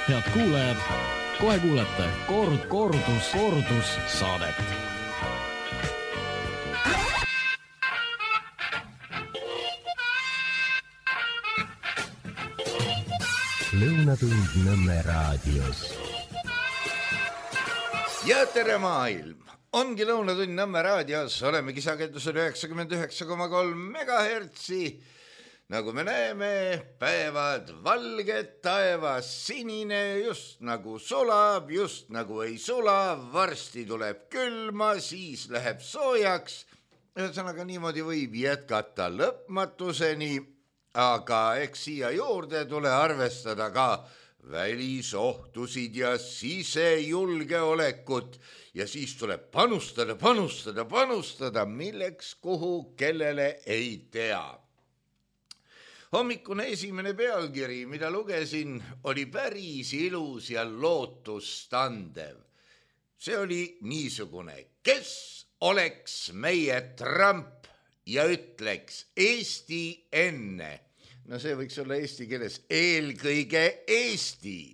Head kuulajad, kohe kuulete kordus saadet. Lõunatund Nõmme raadios. Ja tere maailm! Ongi Lõunatund Nõmme raadios, oleme kisakendusel 99,3 megahertsi. Nagu me näeme, päevad valged, taevas sinine, just nagu sulab, just nagu ei sula, varsti tuleb külma, siis läheb soojaks. Ühesõnaga niimoodi võib jätkata lõpmatuseni, aga eks siia juurde tule arvestada ka välisohtusid ja sisejulgeolekut ja siis tuleb panustada, milleks, kuhu, kellele ei tea. Hommikune esimene pealkiri, mida lugesin, oli päris ilus ja lootustandev. See oli niisugune, kes oleks meie Trump ja ütleks Eesti enne. No see võiks olla eesti keeles eelkõige Eesti.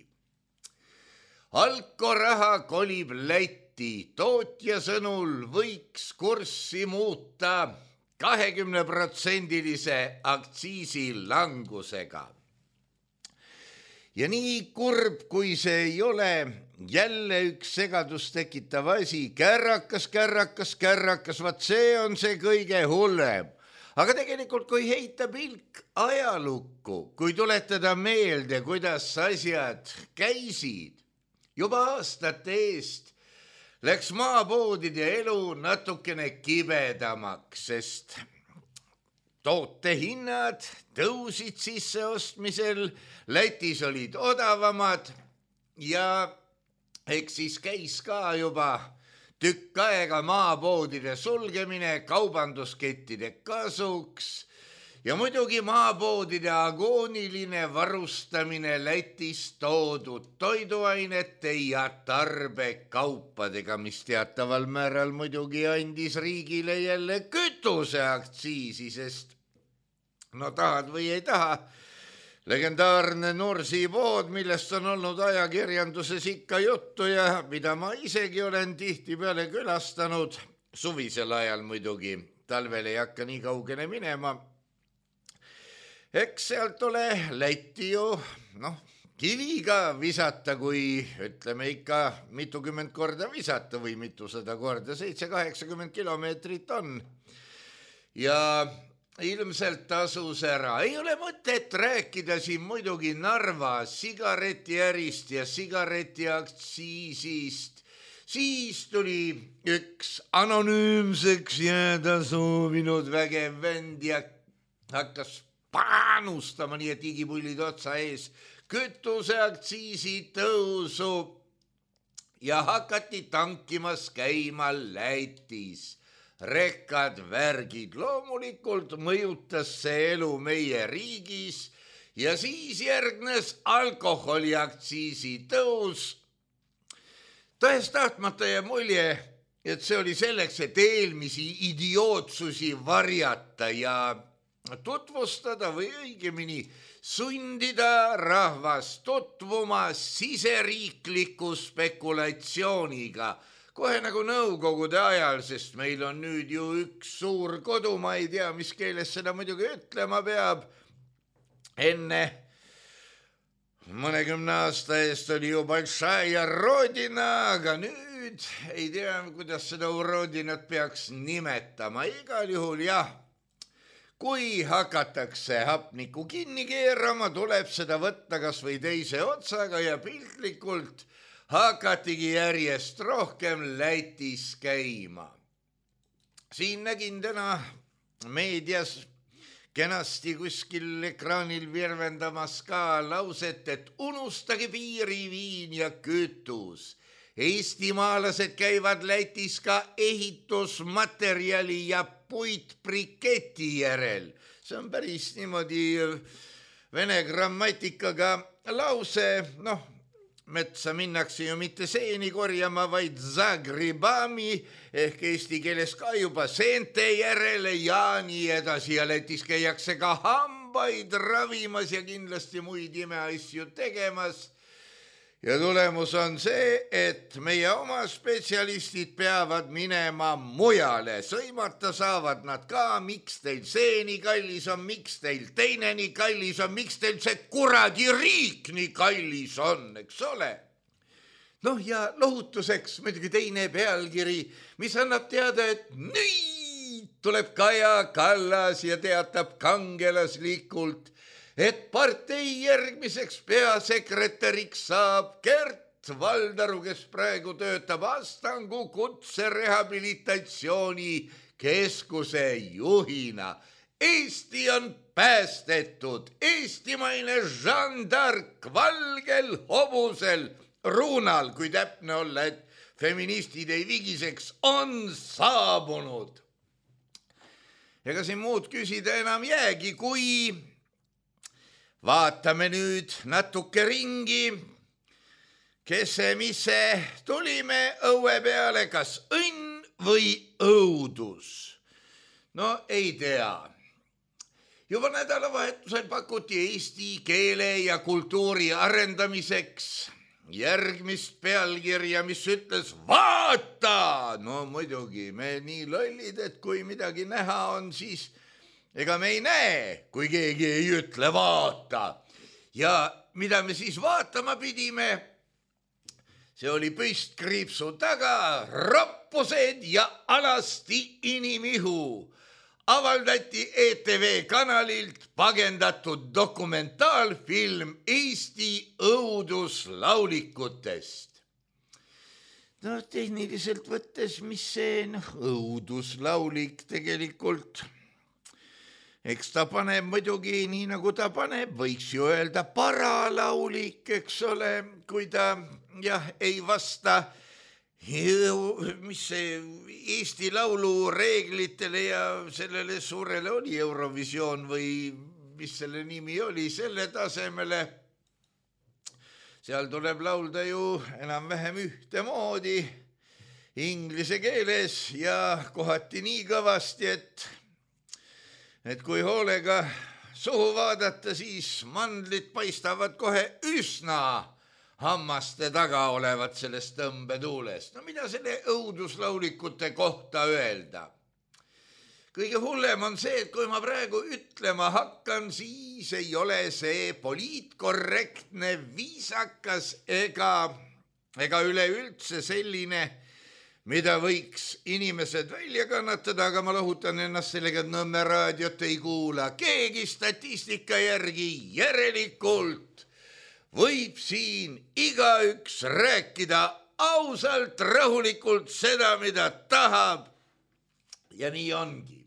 Alkoraha kolib Lätti, tootja sõnul võiks kurssi muuta 20% aktsiisi langusega. Ja nii kurb, kui see ei ole, jälle üks segadust tekitav asi, kärrakas, vaat see on see kõige hullem. Aga tegelikult, kui heita pilk ajalukku, kui tuletada meelde, kuidas asjad käisid, juba aastate eest läks maapoodide elu natukene kibedamaks, sest tootehinnad tõusid sisseostmisel, Lätis olid odavamad ja eks siis käis ka juba tükk aega maapoodide sulgemine kaubanduskettide kasuks ja muidugi maapoodide agooniline varustamine Lätist toodud toiduainete ja tarbekaupadega, mis teataval määral muidugi andis riigile jälle kütuseaktsiisi, sest no tahad või ei taha, legendaarne Nursipood, millest on olnud ajakirjanduses ikka juttu ja mida ma isegi olen tihtipeale külastanud, suvisel ajal muidugi, talvel ei hakka nii kaugele minema. Eks sealt ole Lätti ju, kiviga visata, kui ütleme ikka mitukümmend korda visata või mitusada korda, 780 kilomeetrit on. Ja ilmselt tasus ära. Ei ole mõtet rääkida siin muidugi Narva sigaretiärist ja sigaretiaktsiisist. Siis tuli üks anonüümseks jääda soovinud vägev vend ja hakkas panustama nii, et igipullid otsa ees kütuseaktsiisi tõusu ja hakati tankimas käima Lätis. Rekkad, värgid, loomulikult mõjutas see elu meie riigis ja siis järgnes alkoholiaktsiisi tõus. Tõest tahtmata ja mulje, et see oli selleks, et eelmisi idiootsusi varjata ja tutvustada või õigemini sundida rahvast tutvuma siseriikliku spekulatsiooniga, kohe nagu nõukogude ajal, sest meil on nüüd ju üks suur kodu, ma ei tea, mis keeles seda muidugi ütlema peab. Enne mõnekümne aasta eest oli ju Balšaja Rodina, aga nüüd ei tea, kuidas seda Rodinat peaks nimetama. Igal juhul jah. Kui hakatakse hapnikku kinni keerama, tuleb seda võtta kas või teise otsaga ja piltlikult hakatigi järjest rohkem Lätis käima. Siin nägin täna meedias kenasti kuskil ekraanil virvendamas ka lauset, et unustage piiriviin ja kütus. Eestimaalased käivad Lätis ka ehitusmaterjali ja puitbriketi järel. See on päris niimoodi vene grammatikaga lause, metsa minnakse ju mitte seeni korjama, vaid zagribami ehk eesti keeles ka juba seente järele ja nii edasi ja Lätis käiakse ka hambaid ravimas ja kindlasti muid imeasju tegemas. ja tulemus on see, et meie oma spetsialistid peavad minema mujale. Sõimata saavad nad ka, miks teil see nii kallis on, miks teil teine nii kallis on, miks teil see kuradi riik nii kallis on, eks ole. Noh ja lohutuseks muidugi teine pealkiri, mis annab teada, et nüüd tuleb Kaja Kallas ja teatab kangelaslikult, et partei järgmiseks peasekretäriks saab Gert Valdaru, kes praegu töötab Astangu kutserehabilitatsiooni keskuse juhina. Eesti on päästetud, eestimaine Jeanne d'Arc valgel hobusel, ruunal, kui täpne olla, et feministid ei vigiseks, on saabunud. Ega siin muud küsida enam jäägi, kui vaatame nüüd natuke ringi, kes see, mis see, tulime õue peale, kas õnn või õudus? No ei tea. Juba nädalavahetusel pakuti eesti keele ja kultuuri arendamiseks järgmist pealkirja, mis ütles vaata! No muidugi, me nii lollid, et kui midagi näha on, siis ega me ei näe, kui keegi ei ütle vaata. Ja mida me siis vaatama pidime? See oli püstkriipsu taga, roppused ja alasti inimihu. Avaldati ETV kanalilt pagendatud dokumentaalfilm Eesti õuduslaulikutest. No tehniliselt võttes, mis see õuduslaulik tegelikult... Eks ta paneb muidugi nii, nagu ta paneb, võiks ju öelda paralaulik, eks ole, kui ta ei vasta mis see Eesti Laulu reeglitele ja sellele suurele oli Eurovisioon või mis selle nimi oli, selle tasemele. Seal tuleb laulda ju enam-vähem ühtemoodi inglise keeles ja kohati nii kõvasti, et kui hoolega suhu vaadata, siis mandlid paistavad kohe üsna hammaste taga olevat sellest tõmbetuulest. No mida selle õuduslaulikute kohta öelda? Kõige hullem on see, et kui ma praegu ütlema hakkan, siis ei ole see poliitkorrektne, viisakas ega üleüldse selline, mida võiks inimesed välja kannatada, aga ma lohutan ennast sellega, et Nõmme raadiot ei kuula keegi statistika järgi. Järelikult võib siin igaüks rääkida ausalt, rahulikult seda, mida tahab. Ja nii ongi.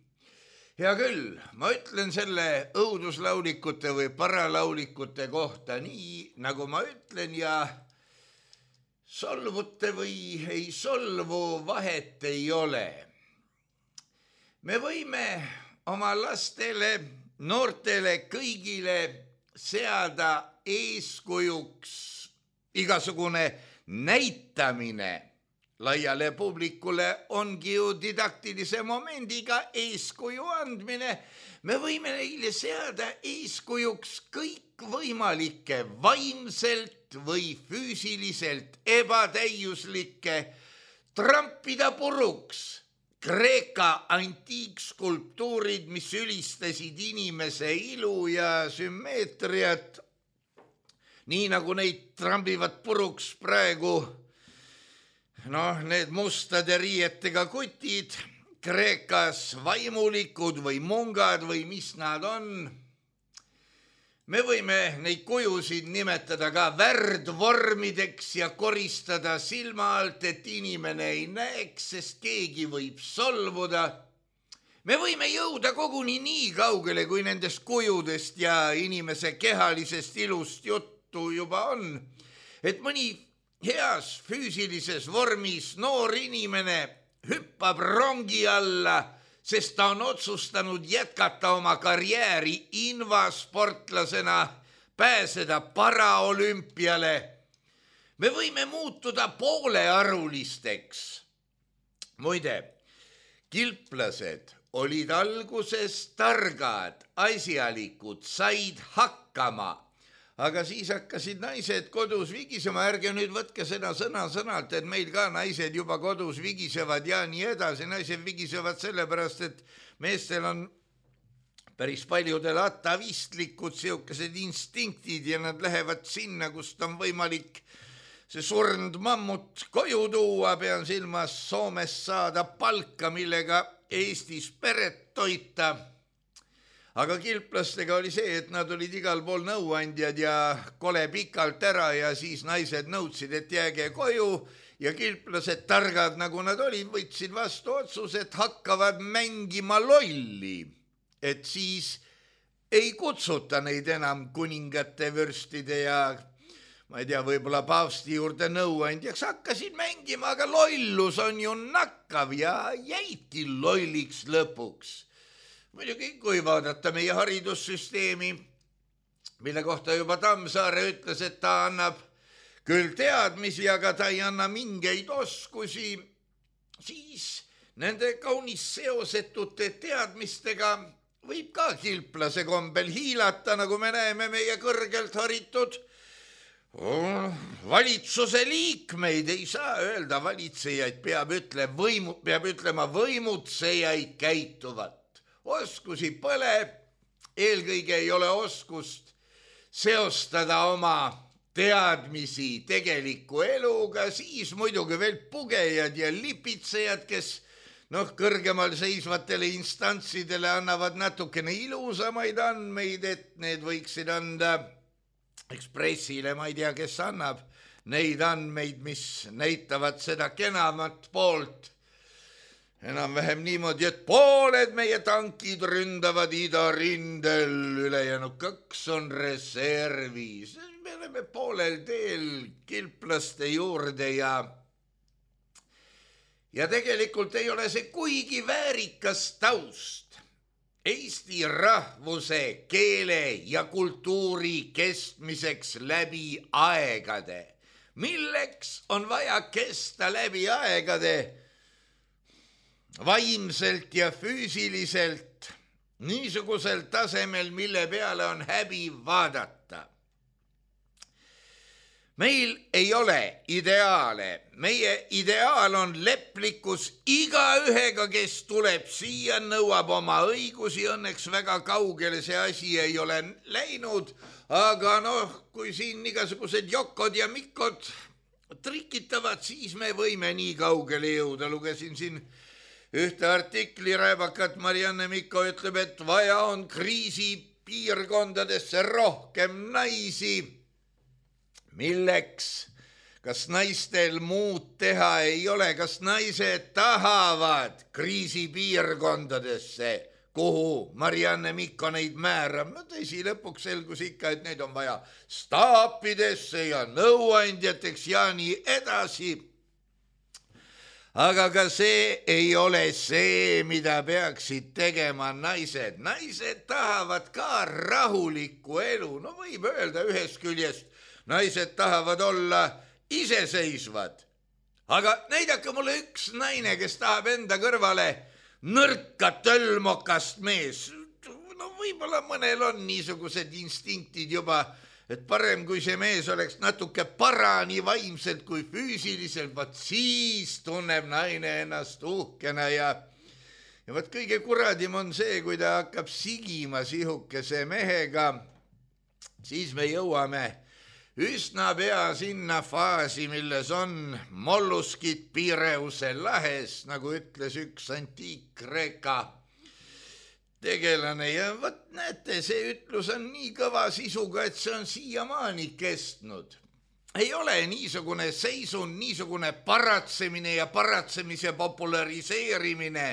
Hea küll, ma ütlen selle õuduslaulikute või paralaulikute kohta nii, nagu ma ütlen ja solvute või ei solvu, vahet ei ole. Me võime oma lastele, noortele, kõigile seada eeskujuks igasugune näitamine. Laiale publikule ongi ju didaktilise momendiga eeskuju andmine. Me võime neile seada eeskujuks kõikvõimalikke vaimselt või füüsiliselt ebatäiuslikke, trampida puruks Kreeka antiikskulptuurid, mis ülistasid inimese ilu ja sümmeetriat, nii nagu neid trambivad puruks praegu need mustade riietega kutid, Kreekas vaimulikud või mungad või mis nad on. Me võime neid kujusid nimetada ka värdvormideks ja koristada silma alt, et inimene ei näeks, sest keegi võib solvuda. Me võime jõuda koguni nii kaugele, kui nendest kujudest ja inimese kehalisest ilust juttu juba on, et mõni heas füüsilises vormis noor inimene hüppab rongi alla, sest ta on otsustanud jätkata oma karjääri invasportlasena, pääseda paraolümpiale. Me võime muutuda poolearulisteks. Muide, kilplased olid alguses targad, asjalikud, said hakkama, aga siis hakkasid naised kodus vigisema, ärge nüüd võtke seda sõnalt, et meil ka naised juba kodus vigisevad ja nii edasi. Naised vigisevad sellepärast, et meestel on päris paljudel atavistlikud siukesed instinktid ja nad lähevad sinna, kust on võimalik see surnud mammut koju tuua, pean silmas Soomes saada palka, millega Eestis peret toita. Aga kilplastega oli see, et nad olid igal pool nõuandjad ja kole pikalt ära ja siis naised nõudsid, et jääge koju ja kilplased targad, nagu nad olid, võtsid vastu otsus, et hakkavad mängima lolli, et siis ei kutsuta neid enam kuningate, vürstide ja ma ei tea, võib-olla paavsti juurde nõuandjaks, hakkasid mängima, aga lollus on ju nakkav ja jäidki lolliks lõpuks. Muidugi, kui vaadata meie haridussüsteemi, mille kohta juba Tammsaare ütles, et ta annab küll teadmisi, aga ta ei anna mingeid oskusi, siis nende kaunis seosetute teadmistega võib ka kilplase kombel hiilata, nagu me näeme meie kõrgelt haritud valitsuse liikmeid, ei saa öelda valitsejaid, peab ütlema võimutsejaid käituvat. Oskusi pole, eelkõige ei ole oskust seostada oma teadmisi tegeliku eluga, siis muidugi veel pugejad ja lipitsejad, kes kõrgemal seisvatele instantsidele annavad natukene ilusamaid andmeid, et need võiksid anda Ekspressile, ma ei tea, kes annab neid andmeid, mis näitavad seda kenamat poolt. Enam-vähem niimoodi, et pooled meie tankid ründavad idarindel, ülejäänud 2 on reservis. Me oleme poolel teel kilplaste juurde ja tegelikult ei ole see kuigi väärikas taust Eesti rahvuse, keele ja kultuuri kestmiseks läbi aegade. Milleks on vaja kesta läbi aegade vaimselt ja füüsiliselt niisugusel tasemel, mille peale on häbi vaadata? Meil ei ole ideaale. Meie ideaal on leplikkus igaühega, kes tuleb siia, nõuab oma õigusi. Õnneks väga kaugele see asi ei ole läinud, aga kui siin igasugused Jokod ja Mikod trikitavad, siis me võime nii kaugele jõuda. Lugesin siin ühte artikli rääbakat, Marianne Mikko ütleb, et vaja on kriisipiirkondadesse rohkem naisi. Milleks? Kas naistel muud teha ei ole? Kas naised tahavad kriisipiirkondadesse, kuhu Marianne Mikko neid määrab? Tõsi, lõpuks selgus ikka, et neid on vaja staapidesse ja nõuandjateks ja nii edasi. Aga ka see ei ole see, mida peaksid tegema naised. Naised tahavad ka rahulikku elu. Võib öelda ühest küljest, naised tahavad olla iseseisvad. Aga näidake mulle üks naine, kes tahab enda kõrvale nõrka tölmokast mees. Võib-olla mõnel on niisugused instinktid juba, et parem kui see mees oleks natuke parani vaimselt kui füüsiliselt, vaat siis tunneb naine ennast uhkena ja vaat kõige kuradim on see, kui ta hakkab sigima sihukese mehega, siis me jõuame üsna pea sinna faasi, milles on molluskid Pireuse lahes, nagu ütles üks antiik-Kreeka tegelane. Ja võt näete, see ütlus on nii kõva sisuga, et see on siiamaani kestnud. Ei ole niisugune seisund, niisugune paratsemine ja paratsemise populariseerimine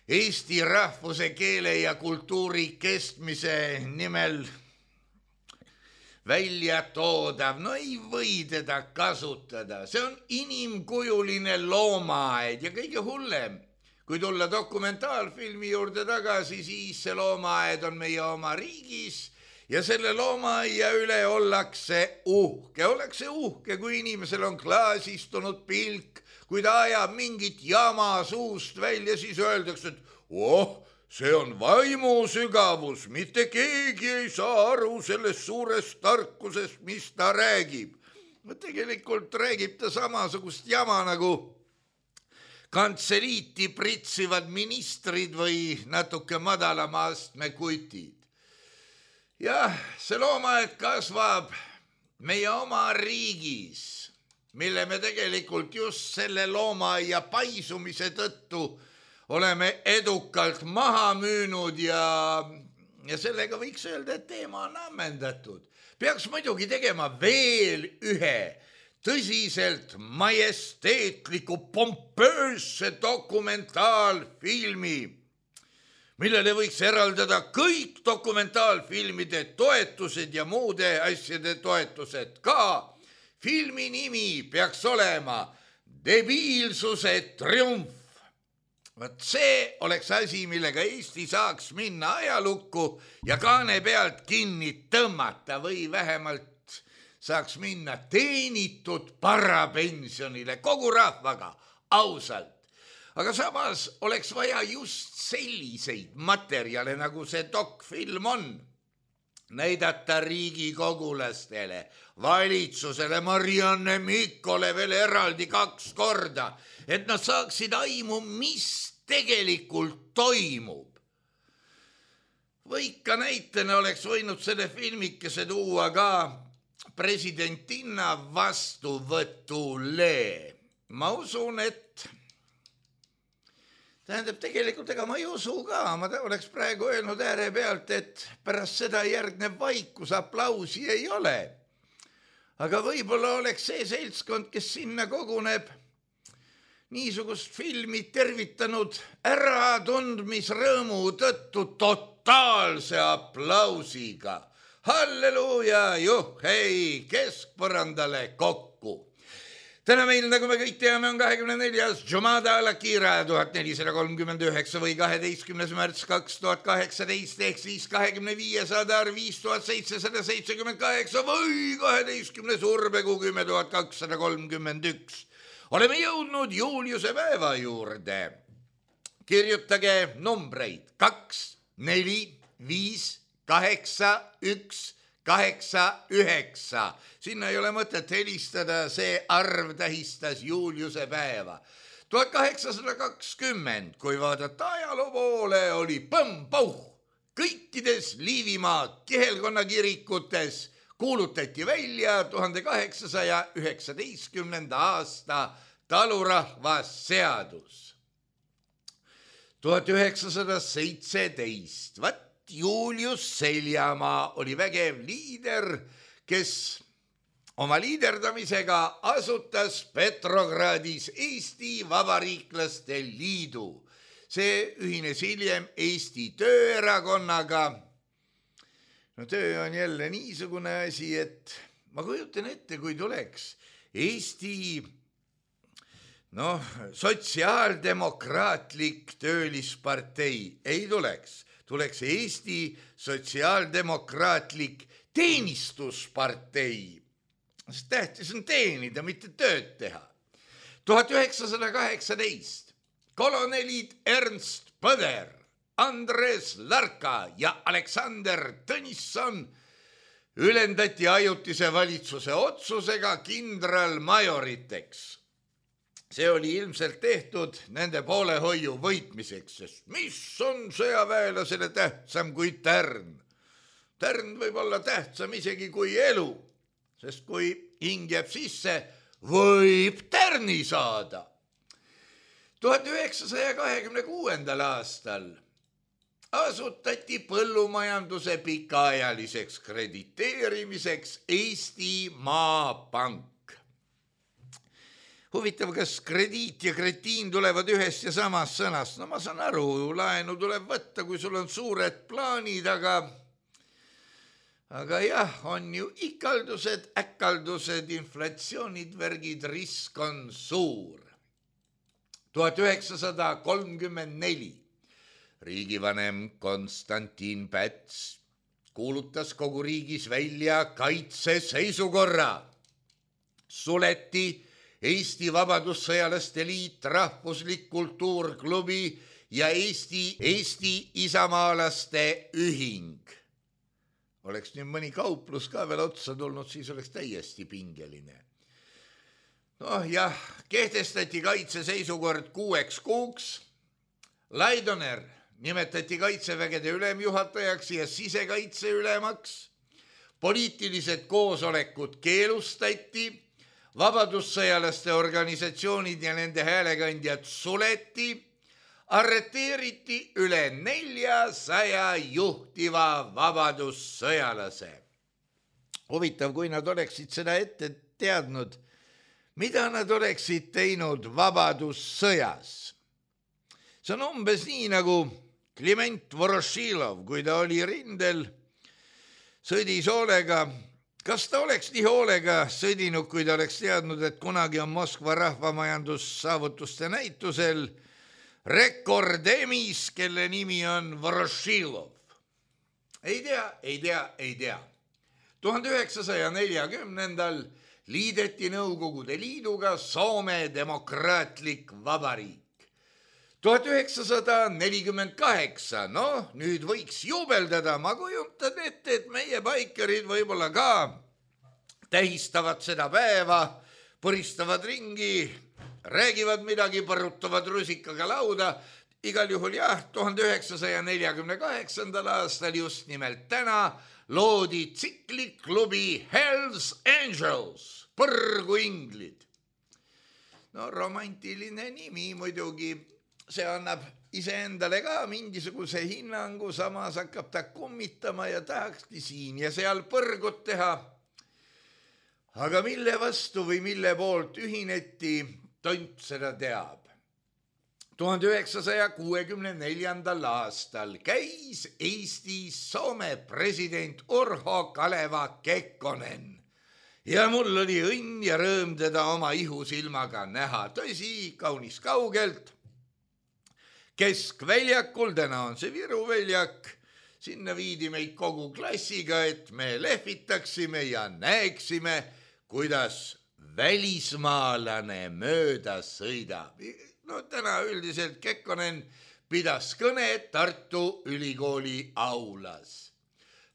Eesti rahvuse, keele ja kultuuri kestmise nimel välja toodav. Ei või teda kasutada. See on inimkujuline loomaaed ja kõige hullem, kui tulla dokumentaalfilmi juurde tagasi, siis see loomaaed on meie oma riigis ja selle loomaaia üle ollakse uhke. Ollakse uhke, kui inimesel on klaasistunud pilk, kui ta ajab mingit jama suust välja, siis öeldakse, et see on vaimu sügavus, mitte keegi ei saa aru sellest suurest tarkusest, mis ta räägib. Tegelikult räägib ta samasugust jama nagu kantseliiti pritsivad ministrid või natuke madalama astme kutid. Jah, see loomaaed kasvab meie oma riigis, mille me tegelikult just selle loomaaia paisumise tõttu oleme edukalt maha müünud ja sellega võiks öelda, et teema on ammendatud. Peaks muidugi tegema veel ühe tõsiselt majesteetliku pompöösse dokumentaalfilmi, millele võiks eraldada kõik dokumentaalfilmide toetused ja muude asjade toetused ka. Filmi nimi peaks olema Debiilsuse triumf. Vaat see oleks asi, millega Eesti saaks minna ajalukku ja kaane pealt kinni tõmmata või vähemalt saaks minna teenitud parapensionile kogu rahvaga, ausalt. Aga samas oleks vaja just selliseid materjale, nagu see dokfilm on. Näidata riigikogulastele, valitsusele, Marianne Mikkole veel eraldi 2 korda, et nad saaksid aimu, mis tegelikult toimub. Või ikka näitena oleks võinud selle filmikese tuua ka presidentinna vastuvõtule. Ma usun, et tähendab, tegelikult ega ma ei usu ka, ma oleks praegu öelnud ääre pealt, et pärast seda järgneb vaikus, aplausi ei ole. Aga võib-olla oleks see seltskond, kes sinna koguneb, niisugust filmi tervitanud äratundmisrõõmu tõttu totaalse aplausiga. Halleluuja, juhhei, keskpõrandale kokku. Täna meil, nagu me kõik teame, on 24. Jumada al-Akira 1439 või 12. märts 2018 ehk siis 25. Adar 5778 või 12. Urbekuu 10.231. Oleme jõudnud Juliuse päeva juurde. Kirjutage numbreid 2, 4, 5, 8, 1, 8, 9. Sinna ei ole mõtet helistada, see arv tähistas Juliuse päeva. 1820, kui vaadata ajaloo poole, oli põmm-pauh. Kõikides Liivimaa kihelkonna kirikutes kuulutati välja 1819. aasta talurahvasseadus. 1917, Julius Seljamaa oli vägev liider, kes oma liiderdamisega asutas Petrogradis Eesti Vabariiklaste Liidu. See ühines hiljem Eesti Tööerakonnaga. No töö on jälle niisugune asi, et ma kujutan ette, kui tuleks Eesti sotsiaaldemokraatlik töölispartei, ei tuleks. Tuleks Eesti sotsiaaldemokraatlik teenistuspartei. Sest tähtis on teenida, mitte tööd teha. 1918 kolonelid Ernst Põder, Andres Larka ja Aleksander Tõnisson ülendati ajutise valitsuse otsusega kindralmajoriteks. See oli ilmselt tehtud nende poolehoiu võitmiseks, sest mis on sõjaväelasele tähtsam kui tärn? Tärn võib olla tähtsam isegi kui elu, sest kui hing jääb sisse, võib tärni saada. 1926. aastal asutati põllumajanduse pikaajaliseks krediteerimiseks Eesti Maapank. Huvitav, kas krediit ja kretiin tulevad ühest ja samast sõnast? No ma saan aru, laenu tuleb võtta, kui sul on suured plaanid, aga jah, on ju ikaldused, äkaldused, inflatsioonid, värgid, risk on suur. 1934 riigivanem Konstantin Päts kuulutas kogu riigis välja kaitseseisukorra. Suleti Eesti Vabadussõjalaste Liit, Rahvuslik Kultuurklubi ja Eesti isamaalaste ühing. Oleks nüüd mõni kauplus ka veel otsa tulnud, siis oleks täiesti pingeline. Noh jah, kehtestati kaitseseisukord 6 kuuks. Laidoner nimetati kaitsevägede ülemjuhatajaks ja sisekaitse ülemaks. Poliitilised koosolekud keelustati, vabadussõjalaste organisatsioonid ja nende häälekandjad suleti, arreteeriti üle 400 juhtiva vabadussõjalase. Huvitav, kui nad oleksid seda ette teadnud, mida nad oleksid teinud vabadussõjas. See on umbes nii nagu Kliment Vorošilov, kui ta oli rindel, sõdis hoolega. Kas ta oleks nii hoolega sõdinud, kui ta oleks teadnud, et kunagi on Moskva rahvamajandussaavutuste näitusel rekordemis, kelle nimi on Vorošilov? Ei tea. 1940. liideti Nõukogude Liiduga Soome demokraatlik vabariik. 1948, nüüd võiks juubeldada, ma kujutan ette, et meie baikerid võib-olla ka tähistavad seda päeva, põristavad ringi, räägivad midagi, põrutavad rusikaga lauda. Igal juhul jah, 1948. aastal just nimelt täna loodi tsikliklubi Hells Angels, põrguinglid. Romantiline nimi muidugi. See annab iseendale ka mingisuguse hinnangu, samas hakkab ta kummitama ja tahakski siin ja seal põrgut teha. Aga mille vastu või mille poolt ühineti, tont seda teab. 1964. aastal käis Eestis Soome president Urho Kaleva Kekkonen. Ja mul oli õnn ja rõõm teda oma ihusilmaga näha. Tõsi, kaunis kaugelt. Keskväljakul, täna on see Viru väljak, sinna viidi meid kogu klassiga, et me lehvitaksime ja näeksime, kuidas välismaalane mööda sõidab. Täna üldiselt Kekkonen pidas kõne Tartu Ülikooli aulas.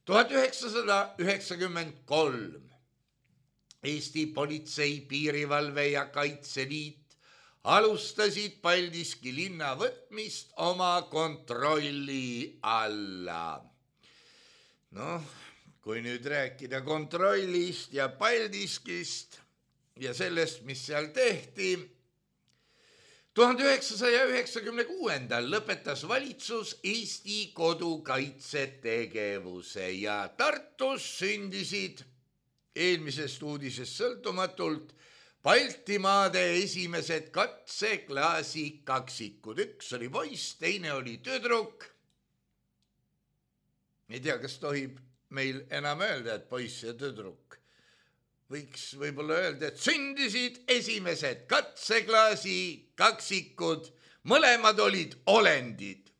1993 Eesti Politsei, Piirivalve ja Kaitseliit alustasid Paldiski linna võtmist oma kontrolli alla. Kui nüüd rääkida kontrollist ja Paldiskist ja sellest, mis seal tehti, 1996. lõpetas valitsus Eesti kodukaitsetegevuse ja Tartus sündisid eelmisest uudisest sõltumatult Baltimaade esimesed katseklaasi kaksikud. Üks oli poiss, teine oli tüdruk. Ei tea, kas tohib meil enam öelda, et poiss ja tüdruk. Võiks võib-olla öelda, et sündisid esimesed katseklaasi kaksikud. Mõlemad olid olendid.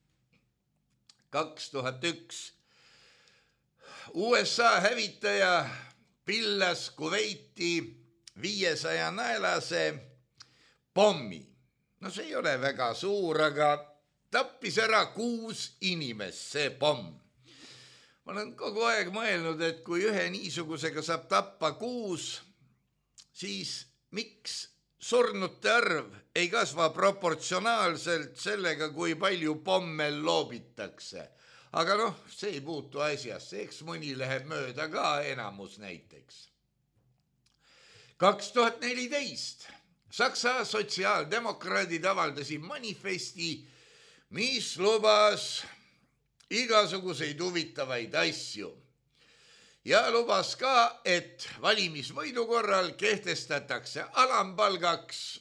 2001 USA hävitaja pillas Kuveiti 500 naelase pommi. See ei ole väga suur, aga tappis ära 6 inimest see pomm. Ma olen kogu aeg mõelnud, et kui ühe niisugusega saab tappa 6, siis miks surnute arv ei kasva proportsionaalselt sellega, kui palju pomme loobitakse. Aga see ei puutu asjasse, eks mõni läheb mööda ka, enamus näiteks. 2014 Saksa sotsiaaldemokraadid avaldasid manifesti, mis lubas igasuguseid huvitavaid asju. Ja lubas ka, et valimisvõidu korral kehtestatakse alampalgaks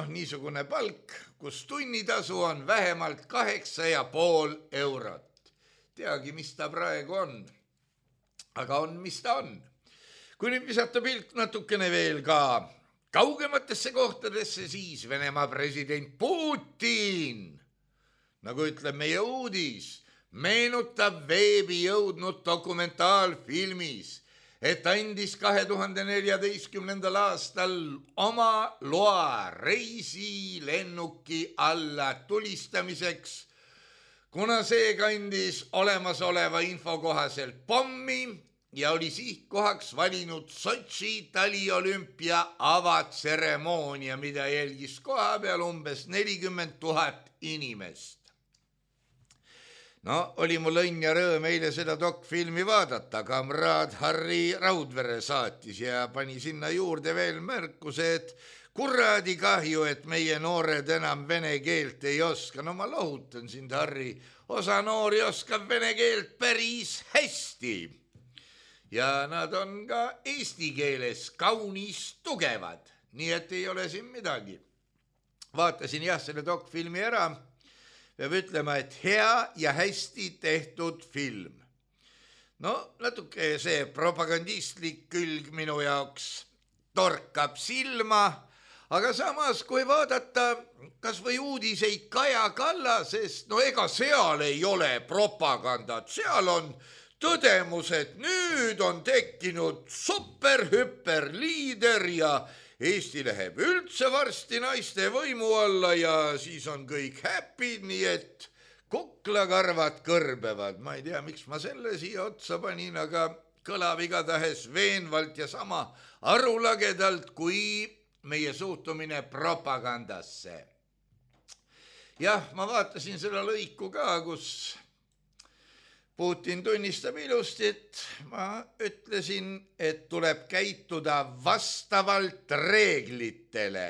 niisugune palk, kus tunnitasu on vähemalt 8,5 eurot. Teagi, mis ta praegu on. Aga on, mis ta on. Kui nüüd visata pilk natukene veel ka kaugematesse kohtadesse, siis Venemaa president Putin, nagu ütleb meie uudis, meenutab veebi jõudnud dokumentaalfilmis, et andis 2014. aastal oma loa reisilennuki alla tulistamiseks, kuna see kandis olemasoleva info kohaselt pommi ja oli sihtkohaks valinud Sotši taliolümpia avatseremoonia, mida jälgis koha peal umbes 40 000 inimest. No, oli mul õnn ja rõõm eile seda dokfilmi vaadata. Kamraad Harri Raudvere saatis ja pani sinna juurde veel märkuse, et kuradi kahju, et meie noored enam vene keelt ei oska. No ma lohutan sind, Harri. Osa noori oskab vene keelt päris hästi. Ja nad on ka eesti keeles kaunis tugevad. Nii et ei ole siin midagi. Vaatasin jah selle dokfilmi ära. Peab ütlema, et hea ja hästi tehtud film. No, natuke see propagandistlik külg minu jaoks torkab silma, aga samas, kui vaadata kas või uudiseid Kaja Kallasest, no ega seal ei ole propagandat, seal on tõdemus, et nüüd on tekkinud super-hüper liider ja Eesti läheb üldse varsti naiste võimu alla ja siis on kõik happy, nii et kuklakarvad kõrbevad. Ma ei tea, miks ma selle siia otsa panin, aga kõlab igatahes veenvalt ja sama arulagedalt kui meie suhtumine propagandasse. Jah, ma vaatasin seda lõiku ka, kus Putin tunnistab ilusti, et ma ütlesin, et tuleb käituda vastavalt reeglitele.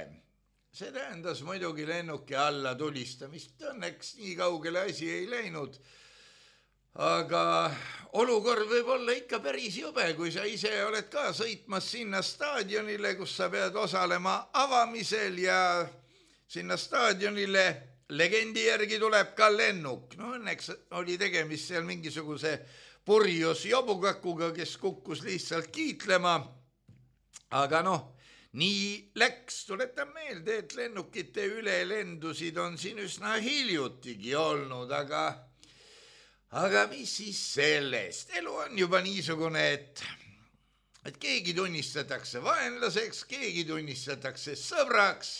See tähendas muidugi lennuki alla tulistamist. Õnneks nii kaugele asi ei läinud. Aga olukord võib olla ikka päris jube, kui sa ise oled ka sõitmas sinna staadionile, kus sa pead osalema avamisel ja sinna staadionile legendi järgi tuleb ka lennuk. No õnneks oli tegemist seal mingisuguse purjus jobukakuga, kes kukkus lihtsalt kiitlema. Aga noh, nii läks. Tuletan meelde, et lennukite ülelendusid on siin üsna hiljutigi olnud, aga mis siis sellest? Elu on juba niisugune, et keegi tunnistatakse vaenlaseks, keegi tunnistatakse sõbraks.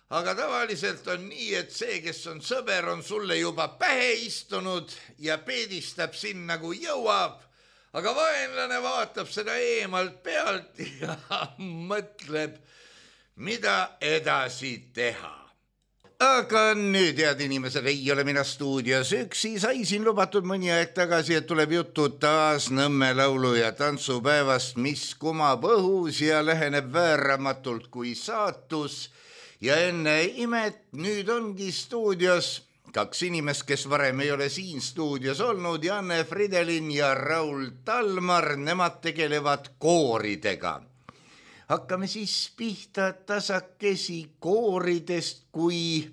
Aga tavaliselt on nii, et see, kes on sõber, on sulle juba pähe istunud ja peedistab sinna, kui jõuab. Aga vaenlane vaatab seda eemalt pealt ja mõtleb, mida edasi teha. Aga nüüd, head inimesed, ei ole mina stuudios üksi. Sai siin lubatud mõni aeg tagasi, et tuleb juttu taas Nõmme laulu- ja tantsupäevast, mis kumab õhus ja läheneb vääramatult kui saatus. Ja enne imet nüüd ongi stuudios kaks inimest, kes varem ei ole siin stuudios olnud, Janne Fridelin ja Raul Talmar, nemad tegelevad kooridega. Hakkame siis pihta tasakesi kooridest kui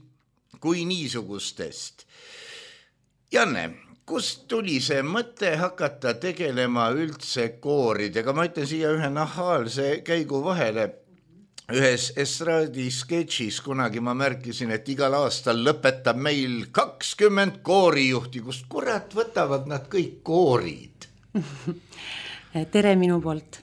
niisugustest. Janne, kust tuli see mõte hakata tegelema üldse kooridega? Ma ütlen siia ühe nahaalse käigu vahele. Ühes estraadi sketšis kunagi ma märkisin, et igal aastal lõpetab meil 20 koorijuhti, kust kurat võtavad nad kõik koorid? Tere minu poolt.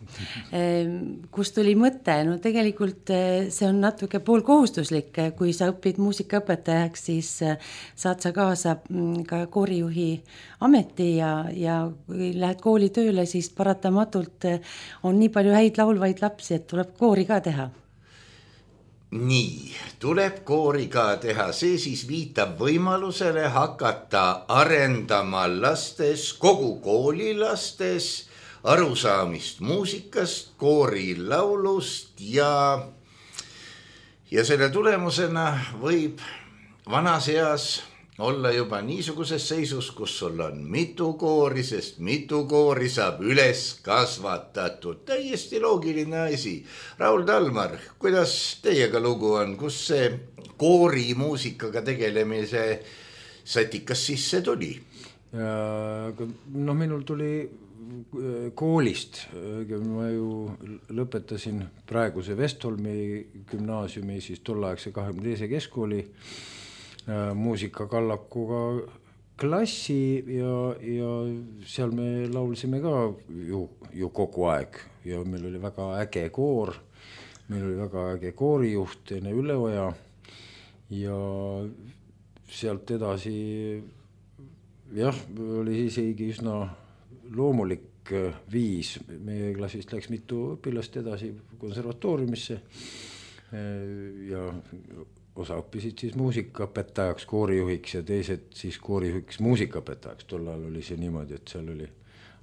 Kust tuli mõte? No tegelikult see on natuke poolkohustuslik. Kui sa õpid muusikaõpetajaks, siis saad sa kaasa ka koorijuhi ameti ja kui lähed kooli tööle, siis paratamatult on nii palju häid laulvaid lapsi, et tuleb koori ka teha. Nii, tuleb koori ka teha. See siis viitab võimalusele hakata arendama lastes, kogu kooli lastes, arusaamist muusikast, koorilaulust ja selle tulemusena võib vanas eas olla juba niisuguses seisus, kus sul on mitu koori, sest mitu koori saab üles kasvatatud. Täiesti loogiline asi. Raul Talmar, kuidas teiega lugu on? Kus see koorimuusikaga tegelemise sätikas sisse tuli? No minul tuli koolist. Ma ju lõpetasin praeguse Vestholmi gümnaasiumi, siis tolleaegse 22. keskkooli muusikakallakuga klassi ja seal me laulsime ka ju kogu aeg ja meil oli väga äge koor, meil oli väga äge koorijuht Ene Üleoja ja sealt edasi jah, oli isegi üsna loomulik viis, meie klassist läks mitu õpilast edasi konservatooriumisse ja osa õppisid siis muusikaõpetajaks, koorijuhiks ja teised siis koorijuhiks muusikaõpetajaks. Tol ajal oli see niimoodi, et seal oli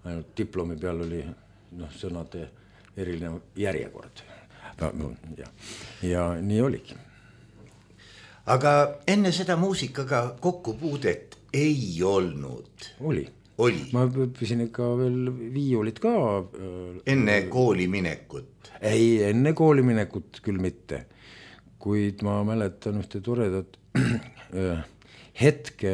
ainult diplomi peal oli sõnade erinev järjekord. Ja nii oligi. Aga enne seda muusikaga kokkupuudet ei olnud? Oli. Ma õppisin ikka veel viiulit ka. Enne kooli minekut? Ei, enne kooli minekut küll mitte. Kuid ma mäletan ühte toredat hetke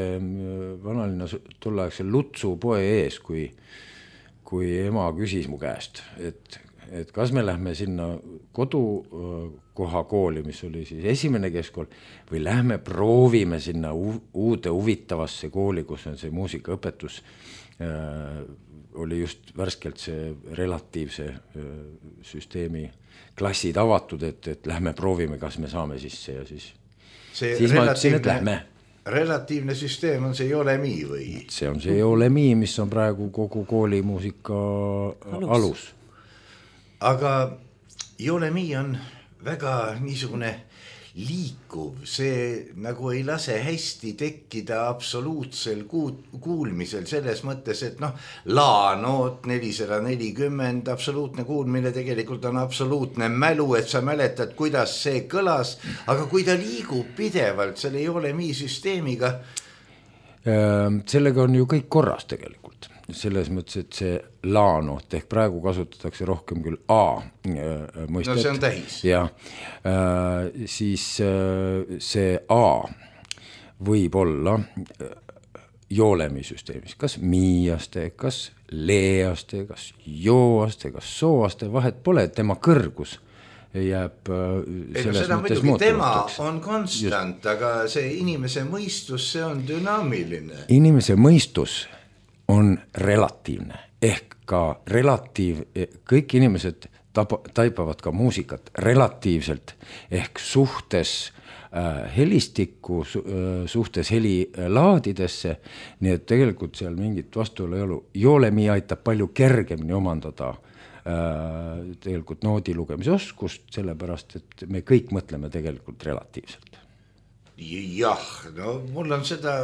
vanalinna tolleaegsel Lutsu poe ees, kui ema küsis mu käest, et kas me lähme sinna kodukoha kooli, mis oli siis esimene keskkool, või lähme proovime sinna uude huvitavasse kooli, kus on see muusikaõpetus, oli just värskelt see relatiivse süsteemi klassid avatud, et lähme proovime, kas me saame sisse ja siis ma ütlesin, et lähme. Relatiivne süsteem on see Jolemi või? See on see Jolemi, mis on praegu kogu koolimuusika alus. Aga Jolemi on väga niisugune liikuv, see nagu ei lase hästi tekkida absoluutsel kuulmisel selles mõttes, et laanoot 440, absoluutne kuulmine tegelikult on absoluutne mälu, et sa mäletad, kuidas see kõlas, aga kui ta liigub pidevalt selle Jolemi süsteemiga. Sellega on ju kõik korras tegelikult. Selles mõttes, et see laanoot ehk praegu kasutatakse rohkem küll A mõistet. No see on tähis. Ja, siis see A võib olla Jolemi süsteemis, kas miiaste, kas leeaste, kas jooaste, kas sooaste, vahet pole, tema kõrgus jääb selles mõttes muutuvaks. Tema on konstant, just. Aga see inimese mõistus, see on dünaamiline. Inimese mõistus on relatiivne, ehk ka kõik inimesed taipavad ka muusikat relatiivselt, ehk suhtes helistikku, suhtes helilaadidesse, nii et tegelikult seal mingit vastuolu ei ole. Jolemi aitab palju kergemini omandada tegelikult noodi lugemise oskust, sellepärast, et me kõik mõtleme tegelikult relatiivselt. Jah, no mul on seda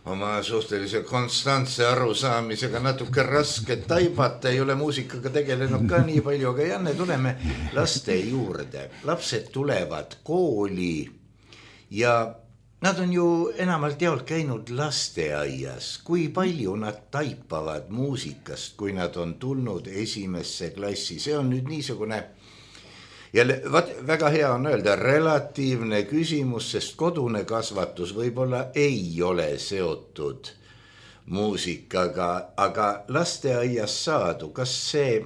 oma suhtelise konstantse arusaamisega natuke raske taibata, ei ole muusikaga tegelenud ka nii palju, aga Janne, tuleme laste juurde. Lapsed tulevad kooli ja nad on ju enamalt jaolt käinud lasteaias. Kui palju nad taipavad muusikast, kui nad on tulnud esimesse klassi? See on nüüd niisugune jälle, väga hea on öelda relatiivne küsimus, sest kodune kasvatus võib-olla ei ole seotud muusikaga, aga lasteaias saadu, kas see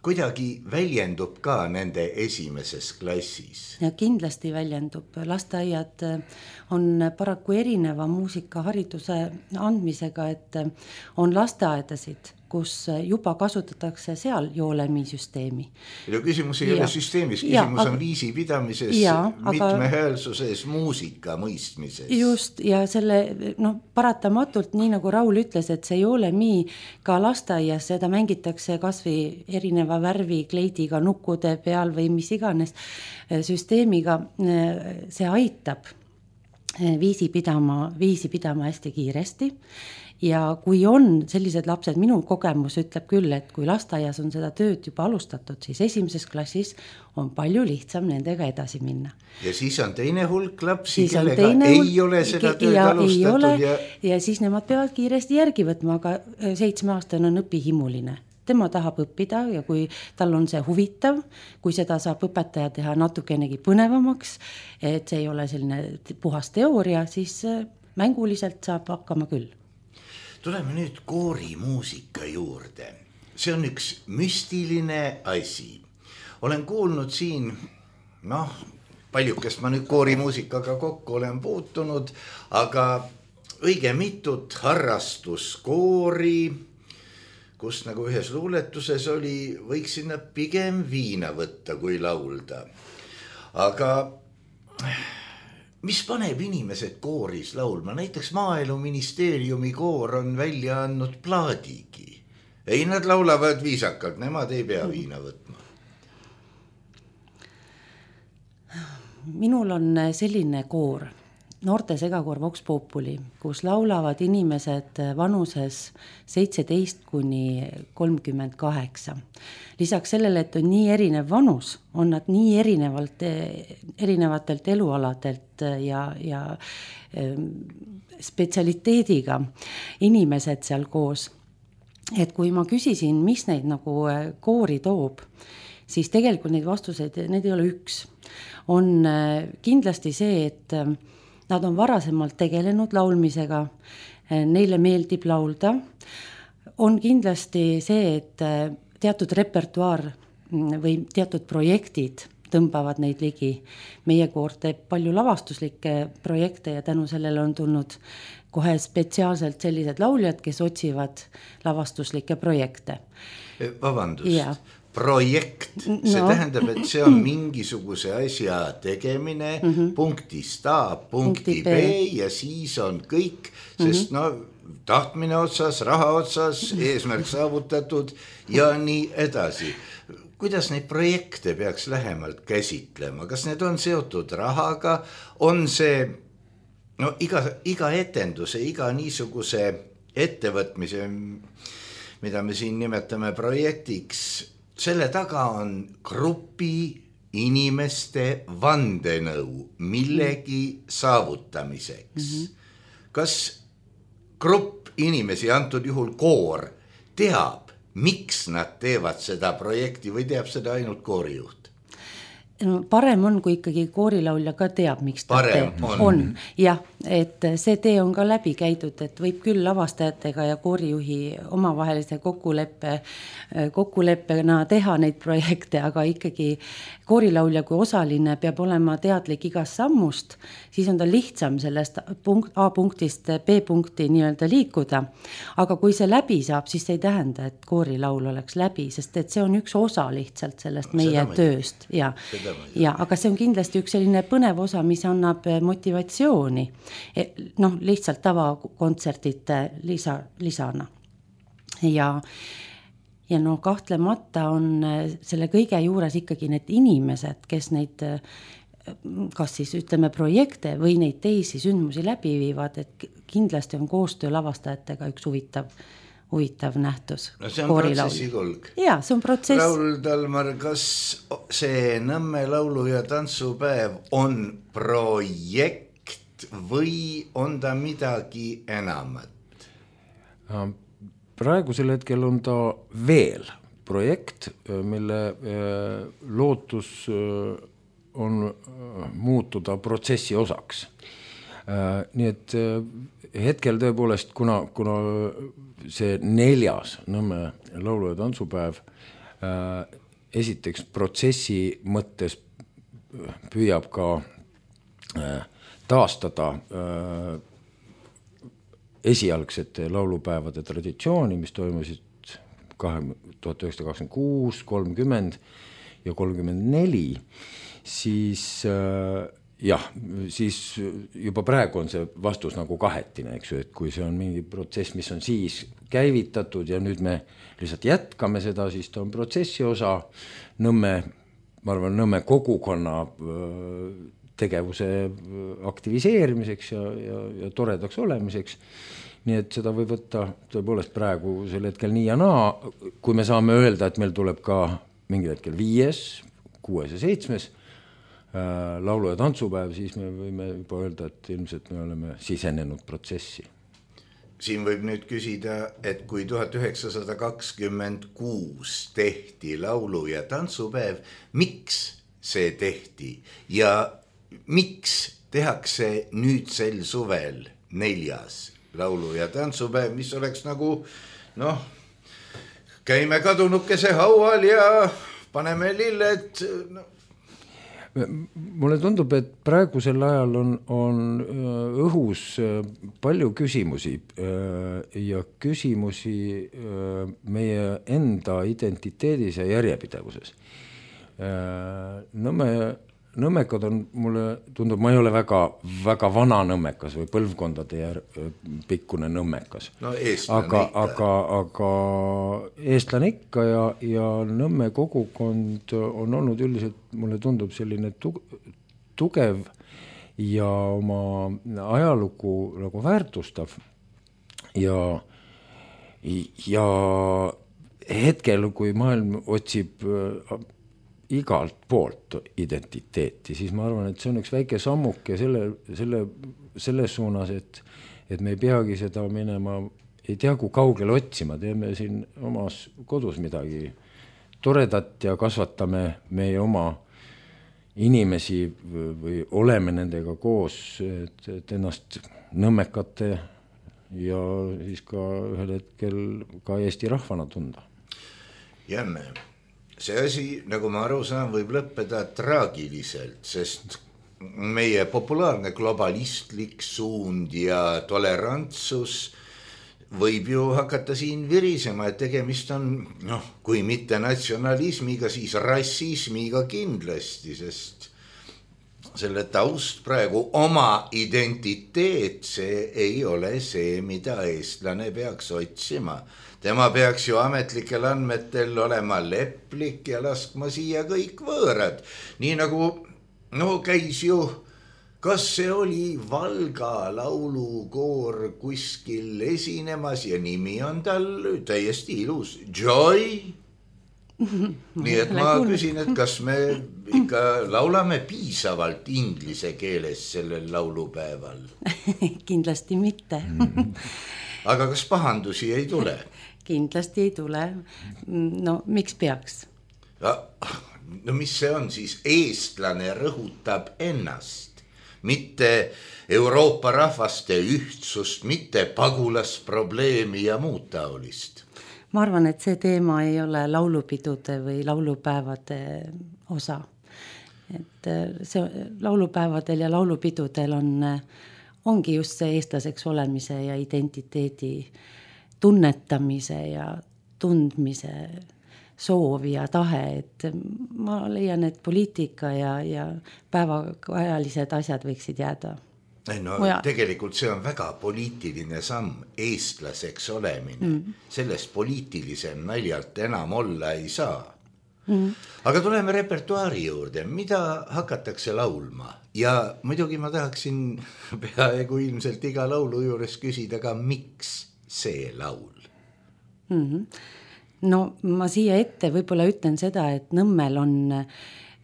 kuidagi väljendub ka nende esimeses klassis? Ja kindlasti väljendub. Lasteaiad on paraku erineva muusikahariduse andmisega, et on lasteaedasid, kus juba kasutatakse seal Jolemi süsteemi. Ja küsimus ei ole süsteemis, küsimus on viisi pidamises, mitmehäälsuses, muusika mõistmises. Just, ja selle paratamatult, nii nagu Raul ütles, et see Jolemi ka lasteaias, seda mängitakse kasvõi erineva värvi kleidiga nukkude peal või mis iganes süsteemiga, see aitab viisi pidama hästi kiiresti. Ja kui on sellised lapsed, minu kogemus ütleb küll, et kui lasteaias on seda tööd juba alustatud, siis esimeses klassis on palju lihtsam nendega edasi minna. Ja siis on teine hulk lapsi, kellega ei ole seda tööd alustatud. Ja siis nemad peavad kiiresti järgi võtma, aga 7-aastane on õpihimuline. Tema tahab õppida ja kui tal on see huvitav, kui seda saab õpetaja teha natukenegi põnevamaks, et see ei ole selline puhas teooria, siis mänguliselt saab hakkama küll. Tuleme nüüd koorimuusika juurde. See on üks müstiline asi. Olen kuulnud siin, paljukest ma nüüd koorimuusikaga kokku olen puutunud, aga õige mitut harrastuskoori, kus nagu ühes luuletuses oli, võiks sinna pigem viina võtta kui laulda. Aga mis paneb inimesed kooris laulma? Näiteks Maaeluministeeriumi koor on välja andnud plaadigi. Ei, nad laulavad viisakalt, nemad ei pea viina võtma. Minul on selline koor, noorte segakoor Vox Populi, kus laulavad inimesed vanuses 17 kuni 38. Lisaks sellele, et on nii erinev vanus, on nad nii erinevatelt elualadelt ja spetsialiteediga inimesed seal koos. Et kui ma küsisin, mis neid nagu koori toob, siis tegelikult neid vastuseid, need ei ole üks. On kindlasti see, et nad on varasemalt tegelenud laulmisega, neile meeldib laulda. On kindlasti see, et teatud repertuaar või teatud projektid tõmbavad neid ligi. Meie koor teeb palju lavastuslikke projekte ja tänu sellele on tulnud kohe spetsiaalselt sellised lauljad, kes otsivad lavastuslikke projekte. Vabandust, ja. Projekt, see tähendab, et see on mingisuguse asja tegemine punktist A, punkti B ja siis on kõik, sest tahtmine otsas, raha otsas, eesmärk saavutatud ja nii edasi. Kuidas neid projekte peaks lähemalt käsitlema? Kas need on seotud rahaga? On see iga etenduse, iga niisuguse ettevõtmise, mida me siin nimetame projektiks, selle taga on grupi inimeste vandenõu millegi saavutamiseks. Kas grupp inimesi, antud juhul koor, teab, miks nad teevad seda projekti või teab seda ainult koorijuht? Parem on, kui ikkagi koorilaulja ka teab, miks ta teeb. On. Jah, et see tee on ka läbi käidud, et võib küll lavastajatega ja koorijuhi omavahelise kokkuleppena teha neid projekte, aga ikkagi koorilaulja kui osaline peab olema teadlik igast sammust, siis on ta lihtsam sellest A punktist B punkti nii-öelda liikuda. Aga kui see läbi saab, siis see ei tähenda, et koorilaul oleks läbi, sest et see on üks osa lihtsalt sellest meie tööst. Ja, aga see on kindlasti üks selline põnev osa, mis annab motivatsiooni. Lihtsalt tavakontserdite lisana. Ja kahtlemata on selle kõige juures ikkagi need inimesed, kes neid, kas siis ütleme projekte või neid teisi sündmusi läbi viivad, et kindlasti on koostöö lavastajatega üks huvitav nähtus. See on protsessi kulg. Jaa, see on protsess. Raul Talmar, kas see Nõmme laulu- ja tantsupäev on projekt või on ta midagi enamat? Praegusel hetkel on ta veel projekt, mille lootus on muutuda protsessi osaks. Nii et hetkel tõepoolest, kuna see 4. Nõmme laulu- ja tantsupäev esiteks protsessi mõttes püüab ka taastada esialgsete laulupäevade traditsiooni, mis toimusid 1926, 30 ja 34, siis siis juba praegu on see vastus nagu kahetine, eks ju, et kui see on mingi protsess, mis on siis käivitatud ja nüüd me lihtsalt jätkame seda, siis ta on protsessi osa ma arvan, Nõmme kogukonna tegevuse aktiviseerimiseks ja toredaks olemiseks. Nii et seda võib võtta tõepoolest praegu sel hetkel nii ja naa, kui me saame öelda, et meil tuleb ka mingil hetkel 5., 6. ja 7. Laulu- ja tantsupäev, siis me võime juba öelda, et ilmselt me oleme sisenenud protsessi. Siin võib nüüd küsida, et kui 1926 tehti laulu- ja tantsupäev, miks see tehti ja miks tehakse nüüd sel suvel 4. laulu- ja tantsupäev, mis oleks nagu, käime kadunukese haual ja paneme lilled. mulle tundub, et praegusel ajal on õhus palju küsimusi ja küsimusi meie enda identiteedis ja järjepidevuses. Nõmmekad on, mulle tundub, ma ei ole väga vana nõmmekas või põlvkondade pikkune nõmmekas. No eestlane aga eestlane ikka ja Nõmme kogukond on olnud üldiselt, mulle tundub, selline tugev ja oma ajalugu nagu väärtustav ja hetkel, kui maailm otsib igalt poolt identiteeti, siis ma arvan, et see on üks väike sammuke selles suunas, et me ei peagi seda minema, ei tea kui kaugele otsima, teeme siin omas kodus midagi toredat ja kasvatame meie oma inimesi või oleme nendega koos, et ennast nõmmekate ja siis ka ühel hetkel ka Eesti rahvana tunda. Jämme. See asi, nagu ma aru saan, võib lõppeda traagiliselt, sest meie populaarne globalistlik suund ja tolerantsus võib ju hakata siin virisema, et tegemist on, kui mitte natsionalismiga, siis rassismiga kindlasti, sest selle taust praegu oma identiteet, see ei ole see, mida eestlane peaks otsima. Tema peaks ju ametlikel andmetel olema leplik ja laskma siia kõik võõrad. Nii nagu, käis ju, kas see oli Valga laulukoor kuskil esinemas ja nimi on tal täiesti ilus, Joy. Nii et ma küsin, et kas me ikka laulame piisavalt inglise keeles sellel laulupäeval? Kindlasti mitte. Aga kas pahandusi ei tule? Kindlasti ei tule. No miks peaks? No mis see on siis? Eestlane rõhutab ennast, mitte Euroopa rahvaste ühtsust, mitte pagulasprobleemi ja muud taolist. Ma arvan, et see teema ei ole laulupidude või laulupäevade osa. Et see laulupäevadel ja laulupidudel ongi just see eestlaseks olemise ja identiteedi tunnetamise ja tundmise soov ja tahe, et ma leian, et poliitika ja päevakajalised asjad võiksid jääda. Tegelikult see on väga poliitiline samm, eestlaseks olemine. Sellest poliitilisem naljalt enam olla ei saa. Aga tuleme repertuaari juurde, mida hakatakse laulma? Ja muidugi ma tahaksin peaaegu ilmselt iga laulu juures küsida ka, miks see laul? No ma siia ette võib-olla ütlen seda, et Nõmmel on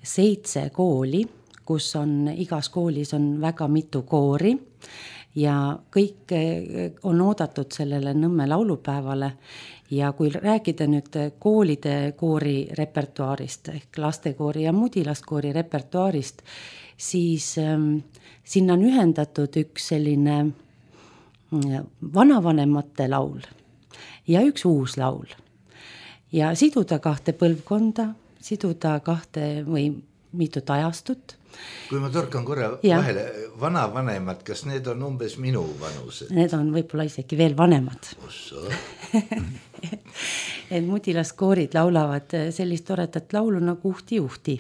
7 kooli, kus igas koolis on väga mitu koori ja kõik on oodatud sellele Nõmme laulupäevale. Ja kui rääkida nüüd koolide koori repertuaarist ehk lastekoori ja mudilastkoori repertuaarist, siis sinna on ühendatud üks selline vanavanemate laul ja üks uus laul ja siduda 2 põlvkonda, siduda 2 või mitut ajastut. Kui ma torkan korra vahele, vanavanemad, kas need on umbes minu vanused? Need on võib-olla isegi veel vanemad. Et mudilastskoorid laulavad sellist toredat laulu nagu Uhti.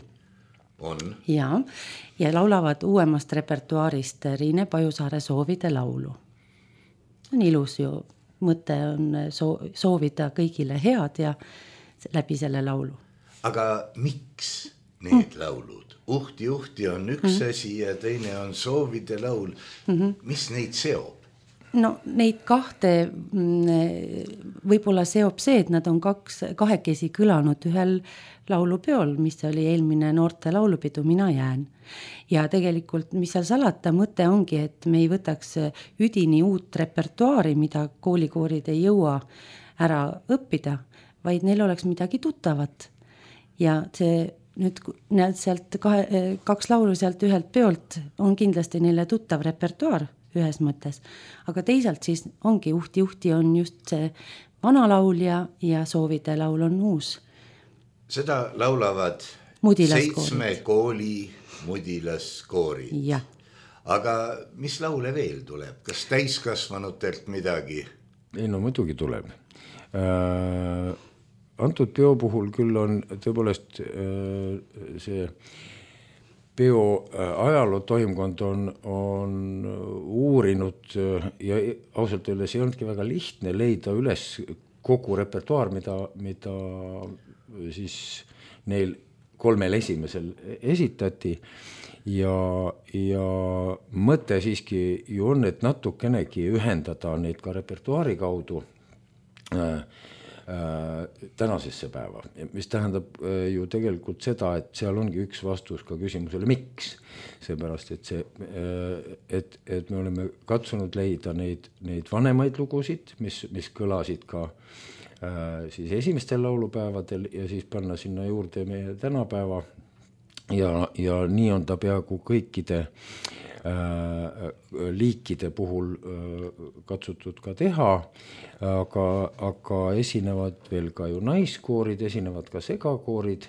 On? Ja laulavad uuemast repertuaarist Riine Pajusaare Soovide laulu. On ilus ju, mõte on soovida kõigile head ja läbi selle laulu. Aga miks need laulud? Uhti on üks asi ja teine on Soovide laul. Mis neid seob? No neid 2 võib-olla seob see, et nad on 2 kõlanud ühel laulupeol, mis oli eelmine noorte laulupidu Mina jään. Ja tegelikult, mis seal salata, mõte ongi, et me ei võtaks üdini uut repertuaari, mida koolikoorid ei jõua ära õppida, vaid neil oleks midagi tuttavat. Ja see nüüd sealt 2 laulu sealt ühelt peolt on kindlasti neile tuttav repertuaar ühes mõttes, aga teisalt siis ongi Uhti on just see vana laul ja Soovide laul on uus. Seda laulavad Mudilaskoorid. 7 kooli mudilaskoorid. Jah. Aga mis laule veel tuleb? Kas täiskasvanutelt midagi? Ei, no muidugi tuleb. Antud peo puhul küll on tõepoolest see peo ajaloo toimkond on uurinud ja ausalt öeldes ei olnudki väga lihtne leida üles kogu repertuaar, mida siis neil 3 esimesel esitati ja mõte siiski ju on, et natukenegi ühendada neid ka repertuaari kaudu tänasesse päeva, mis tähendab ju tegelikult seda, et seal ongi üks vastus ka küsimusele, miks. Seepärast, et me oleme katsunud leida neid vanemaid lugusid, mis kõlasid ka siis esimestel laulupäevadel ja siis panna sinna juurde meie tänapäeva ja nii on ta peaaegu kõikide liikide puhul katsutud ka teha, aga esinevad veel ka ju naiskoorid, esinevad ka segakoorid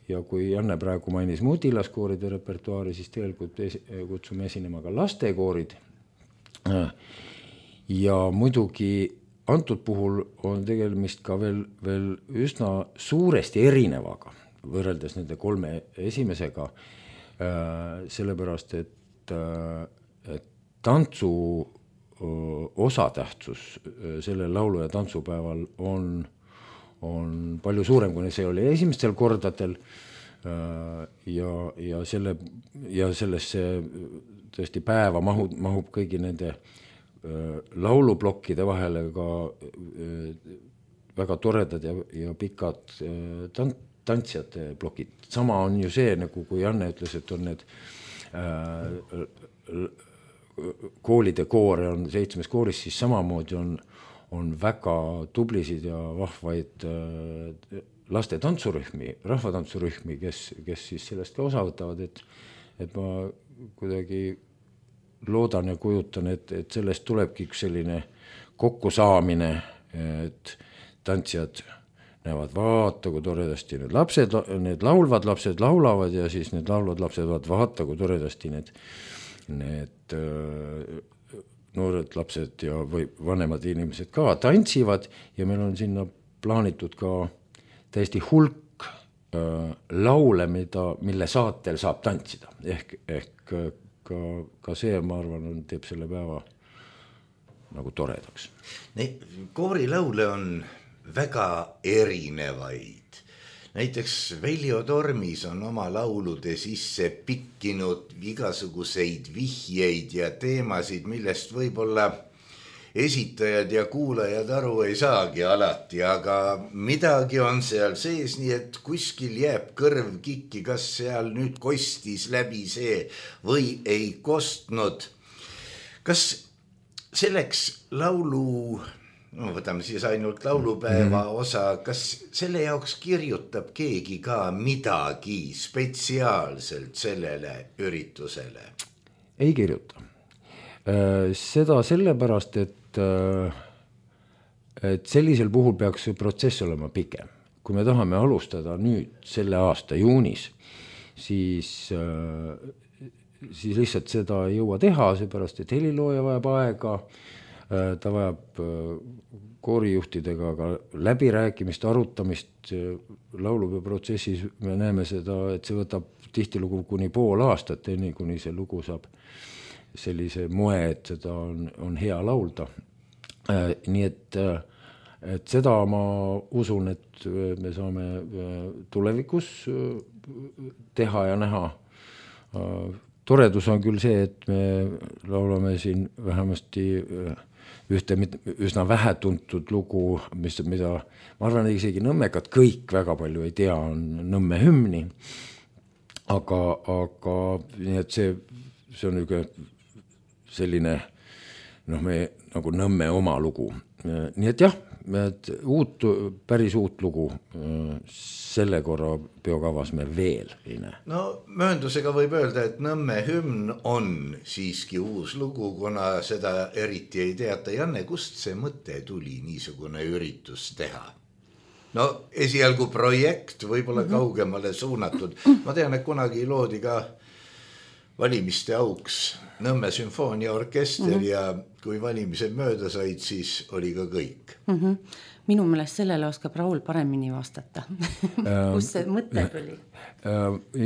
ja kui Janne praegu mainis mudilaskooride repertuaari, siis tegelikult kutsume esinema ka lastekoorid ja muidugi antud puhul on tegemist ka veel üsna suuresti erinevaga võrreldes nende 3 esimesega, sellepärast, et tantsu osatähtsus sellel laulu- ja tantsupäeval on palju suurem, kui see oli esimestel kordadel ja sellesse tõesti päeva mahub kõigi nende lauluplokkide vahele ka väga toredad ja pikad tantsijate plokid. Sama on ju see, nagu kui Janne ütles, et on need koolide koore on 7 kooris, siis samamoodi on väga tublisid ja vahvaid laste tantsurühmi, rahvatantsurühmi, kes siis sellest ka osa võtavad, et ma kuidagi loodan ja kujutan, et sellest tulebki üks selline kokkusaamine, et tantsijad näevad, vaata, kui toredasti need laulvad lapsed laulavad ja siis need laulvad lapsed vaata, kui toredasti need noored lapsed ja või vanemad inimesed ka tantsivad ja meil on sinna plaanitud ka täiesti hulk laule, mille saatel saab tantsida. Ehk ka see, ma arvan, teeb selle päeva nagu toredaks. Koorilaule on väga erinevaid. Näiteks Veljo Tormis on oma laulude sisse pikkinud igasuguseid vihjeid ja teemasid, millest võib-olla esitajad ja kuulajad aru ei saagi alati, aga midagi on seal sees, nii et kuskil jääb kõrv kikki, kas seal nüüd kostis läbi see või ei kostnud. Kas selleks laulu, võtame siis ainult laulupäeva osa, kas selle jaoks kirjutab keegi ka midagi spetsiaalselt sellele üritusele? Ei kirjuta. Seda sellepärast, et sellisel puhul peaks see protsess olema pikem. Kui me tahame alustada nüüd selle aasta juunis, siis lihtsalt seda ei jõua teha, seepärast, et helilooja vajab aega, ta vajab koorijuhtidega ka läbirääkimist, arutamist laulupeoprotsessis. Me näeme seda, et see võtab tihtilugu kuni pool aastat, enne kuni see lugu saab sellise moe, et seda on hea laulda. Nii et seda ma usun, et me saame tulevikus teha ja näha. Toredus on küll see, et me laulame siin vähemasti ühte üsna vähetuntud lugu, mida ma arvan, isegi nõmmekad kõik väga palju ei tea, on Nõmme hümni. Aga nii et see on üks selline me nagu Nõmme oma lugu. Nii et jah, päris uut lugu selle korra peokavas me veel ei näe. No mööndusega võib öelda, et Nõmme hümn on siiski uus lugu, kuna seda eriti ei teata. Janne, kust see mõte tuli niisugune üritus teha? no esialgu projekt võib-olla kaugemale suunatud. Ma tean, et kunagi loodi ka valimiste auks Nõmme sümfooniaorkester ja kui valimised mööda said, siis oli ka kõik. Minu meelest sellele oskab Raul paremini vastata. Kus see mõte tuli?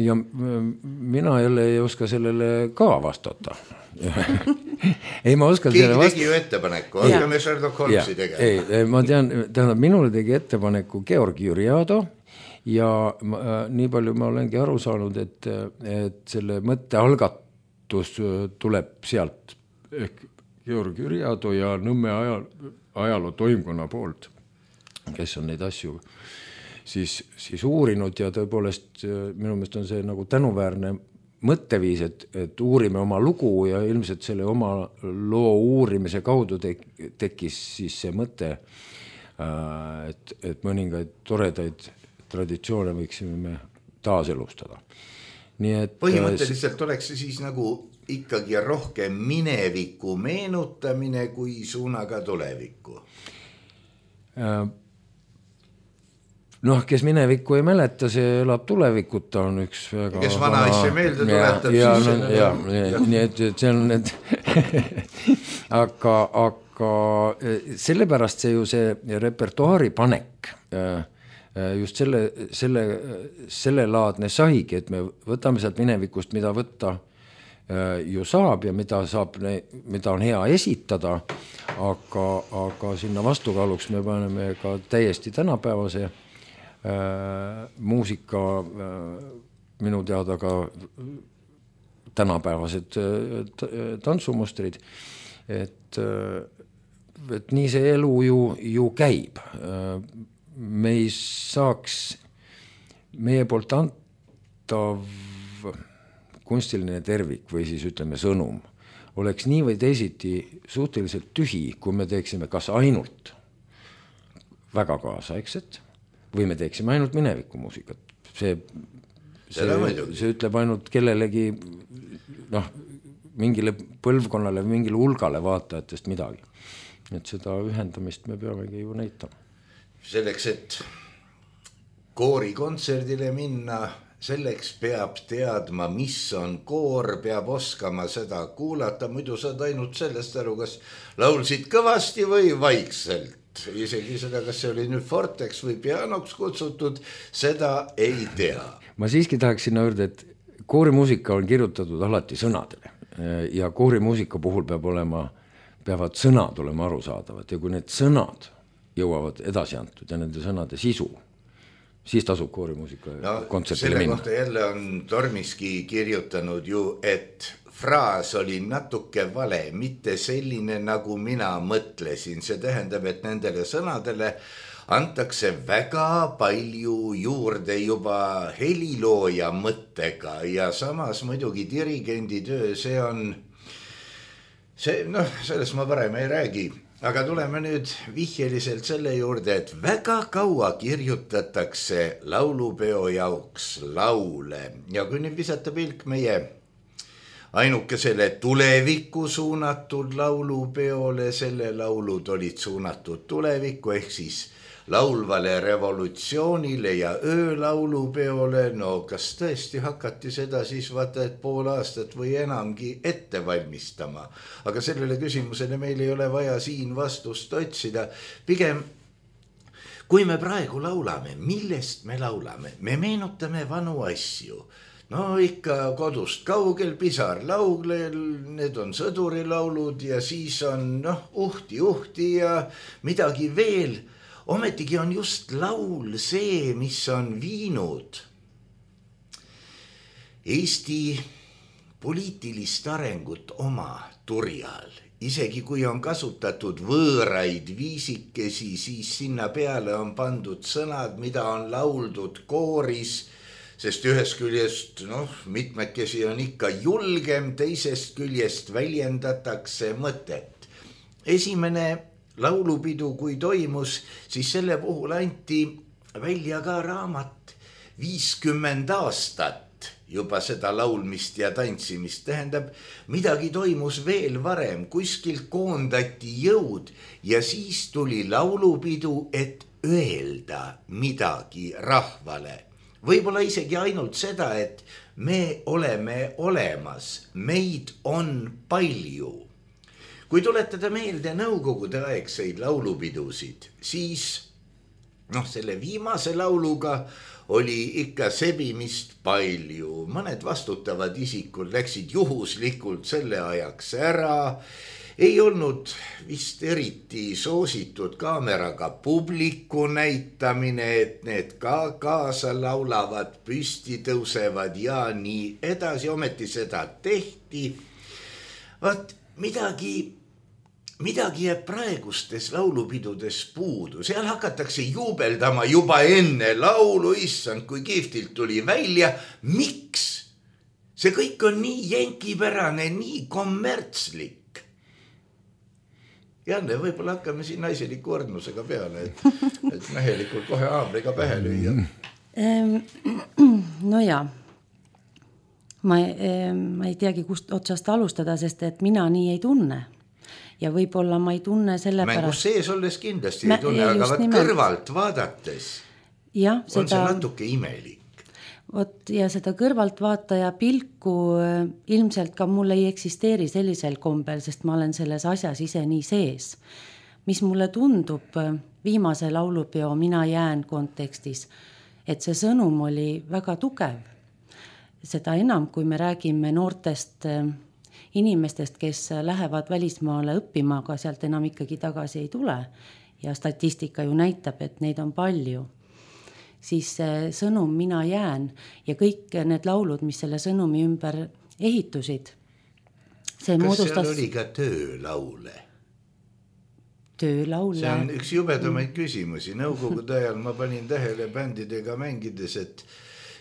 Ja mina jälle ei oska sellele ka vastata. Ei, ma oskan keegi tegi ju ettepaneku, hakkame Sherlock Holmesi tegema. Ei, ma tean, tähendab, minule tegi ettepaneku Georg Jüriado ja nii palju ma olengi aru saanud, et selle mõtte algatus tuleb sealt ehk Georg Jüriado ja Nõmme ajaloo toimkonna poolt, kes on neid asju siis uurinud ja tõepoolest minu meelest on see nagu tänuväärne mõtteviis, et uurime oma lugu ja ilmselt selle oma loo uurimise kaudu tekkis siis see mõte, et mõningaid toredaid traditsioone võiksime me taaselustada. Nii et põhimõtteliselt oleks see siis nagu ikkagi rohkem mineviku meenutamine kui suunaga tulevikku. Noh, kes minevikku ei mäleta, see elab tulevikuta, on üks väga... Kes vana asja meelde tuletab, siis... Nii et see on need... aga sellepärast see ju see repertuaari panek just selle laadne saigi, et me võtame sealt minevikust, mida võtta ju saab ja mida on hea esitada, aga sinna vastukaaluks me paneme ka täiesti tänapäevase muusika, minu teada ka tänapäevased tantsumustrid, et nii see elu ju käib. Me ei saaks meie poolt antav kunstiline tervik või siis ütleme sõnum oleks nii või teisiti suhteliselt tühi, kui me teeksime kas ainult väga kaasaegset või me teeksime ainult minevikumuusikat. See ütleb ainult kellelegi mingile põlvkonnale, mingile hulgale vaatajatest midagi. Et seda ühendamist me peamegi ju näitama. Selleks, et koorikontserdile minna, selleks peab teadma, mis on koor, peab oskama seda kuulata, muidu saad ainult sellest aru, kas laulsid kõvasti või vaikselt. Isegi seda, kas see oli nüüd forteks või pianoks kutsutud, seda ei tea. Ma siiski tahaks sinna juurde, et koorimuusika on kirjutatud alati sõnadele ja koorimuusika puhul peavad sõnad olema arusaadavad ja kui need sõnad jõuavad edasi antud ja nende sõnade sisu, siis tasub koorimuusika kontsertile minna. Selle kohta jälle on Tormiski kirjutanud ju, et fraas oli natuke vale, mitte selline, nagu mina mõtlesin. See tähendab, et nendele sõnadele antakse väga palju juurde juba helilooja mõttega ja samas muidugi dirigendi töö, sellest ma parem ei räägi. Aga tuleme nüüd vihjeliselt selle juurde, et väga kaua kirjutatakse laulupeo jaoks laule. Ja kui nüüd visata pilk meie ainukesele tulevikku suunatud laulupeole, selle laulud olid suunatud tulevikku, ehk siis laulvale revolutsioonile ja öölaulupeole, no kas tõesti hakati seda siis vaata, et pool aastat või enamgi ette valmistama. Aga sellele küsimusele meil ei ole vaja siin vastust otsida. Pigem, kui me praegu laulame, millest me laulame? Me meenutame vanu asju. No ikka kodust kaugel, pisar lauglel, need on sõdurilaulud ja siis on uhti ja midagi veel. Ometigi on just laul see, mis on viinud Eesti poliitilist arengut oma turjal. Isegi kui on kasutatud võõraid viisikesi, siis sinna peale on pandud sõnad, mida on lauldud kooris, sest ühest küljest mitmekesi on ikka julgem, teisest küljest väljendatakse mõtet. Esimene laulupidu, kui toimus, siis selle puhul anti välja ka raamat 50 aastat juba seda laulmist ja tantsimist. Tähendab, midagi toimus veel varem, kuskilt koondati jõud ja siis tuli laulupidu, et öelda midagi rahvale. Võib-olla isegi ainult seda, et me oleme olemas, meid on palju. Kui tuletada meelde nõukogude aegseid laulupidusid, siis selle viimase lauluga oli ikka sebimist palju. Mõned vastutavad isikud läksid juhuslikult selle ajaks ära. Ei olnud vist eriti soositud kaameraga publiku näitamine, et need ka kaasa laulavad, püsti tõusevad ja nii edasi. Ometi seda tehti. Vaat midagi jääb praegustes laulupidudes puudu. Seal hakatakse juubeldama juba enne laulu, issand, kui kihvtilt tuli välja. Miks? See kõik on nii jänkipärane, nii kommertslik. Janne, võib-olla hakkame siin naiseliku õrnusega peale, et mehelikult kohe haamriga pähe lüüa. No ja, ma ei teagi, kust otsast alustada, sest et mina nii ei tunne. Ja võib-olla ma ei tunne selle pärast. Mängus sees olles kindlasti ei tunne, aga kõrvalt vaadates on see natuke imelik. Ja seda kõrvaltvaataja pilku ilmselt ka mul ei eksisteeri sellisel kombel, sest ma olen selles asjas ise nii sees. Mis mulle tundub viimase laulupeo Mina jään kontekstis, et see sõnum oli väga tugev. Seda enam, kui me räägime noortest inimestest, kes lähevad välismaale õppima, aga sealt enam ikkagi tagasi ei tule. Ja statistika ju näitab, et neid on palju. Siis sõnum Mina jään ja kõik need laulud, mis selle sõnumi ümber ehitusid. Kas seal oli ka töölaule? Töölaule? See on üks jubedamaid küsimusi. Nõukogude ajal ma panin tähele bändidega mängides, et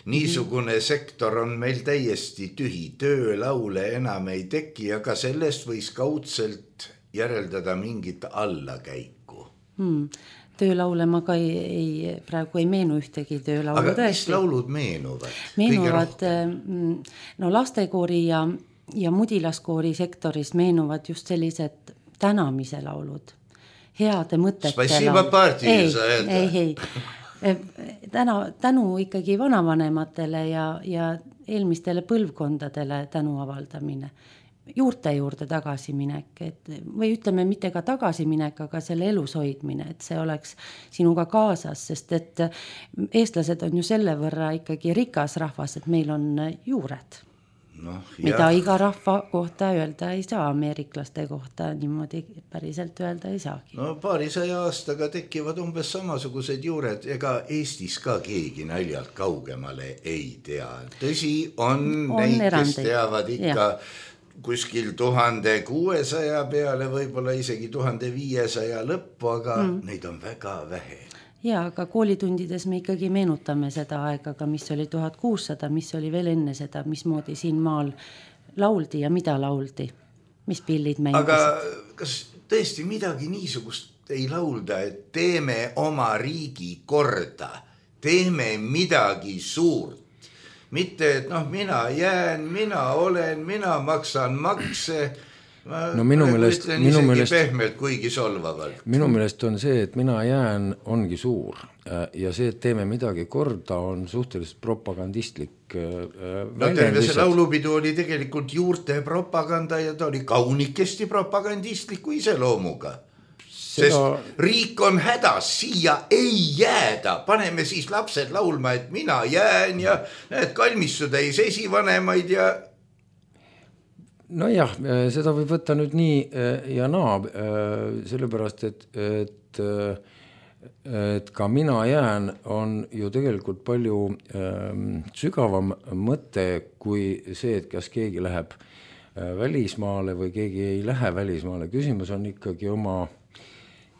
niisugune sektor on meil täiesti tühi. Töölaule enam ei teki, aga sellest võis kaudselt järeldada mingit allakäiku. Töölaule ma ka praegu ei meenu ühtegi töölaulu. Aga mis laulud meenuvad? Meenuvad, lastekoori ja mudilaskoori sektoris meenuvad just sellised tänamise laulud. Heade mõtete laulud. Ei. Tänu ikkagi vanavanematele ja eelmistele põlvkondadele tänu avaldamine. Juurte juurde tagasiminek, või ütleme mitte ka tagasiminek, aga selle elus hoidmine, et see oleks sinuga kaasas, sest et eestlased on ju selle võrra ikkagi rikas rahvas, et meil on juured. Mida iga rahva kohta öelda ei saa, ameeriklaste kohta niimoodi päriselt öelda ei saagi. Paarisaja aastaga tekivad umbes samasugused juured, ega Eestis ka keegi naljalt kaugemale ei tea. Tõsi, on neid, kes teavad ikka kuskil 1600 peale, võib-olla isegi 1500 lõppu, aga neid on väga vähe. Ja, aga koolitundides me ikkagi meenutame seda aega, mis oli 1600, mis oli veel enne seda, mismoodi siin maal lauldi ja mida lauldi, mis pillid mängisid. Aga kas tõesti midagi niisugust ei laulda, et teeme oma riigi korda, teeme midagi suurt? Mitte, et mina jään, mina olen, mina maksan makse. Minu meelest pehmelt, kuigi solvavalt. Minu meelest on see, et mina jään ongi suur ja see, et teeme midagi korda, on suhteliselt propagandistlik terve see laulupidu oli tegelikult juurte propaganda ja ta oli kaunikesti propagandistliku iseloomuga. Sest riik on hädas, siia ei jääda. Paneme siis lapsed laulma, et mina jään ja need kalmistud ei esivanemaid ja... Nojah, seda võib võtta nüüd nii ja naa, sellepärast, et ka mina jään on ju tegelikult palju sügavam mõte kui see, et kas keegi läheb välismaale või keegi ei lähe välismaale. Küsimus on ikkagi oma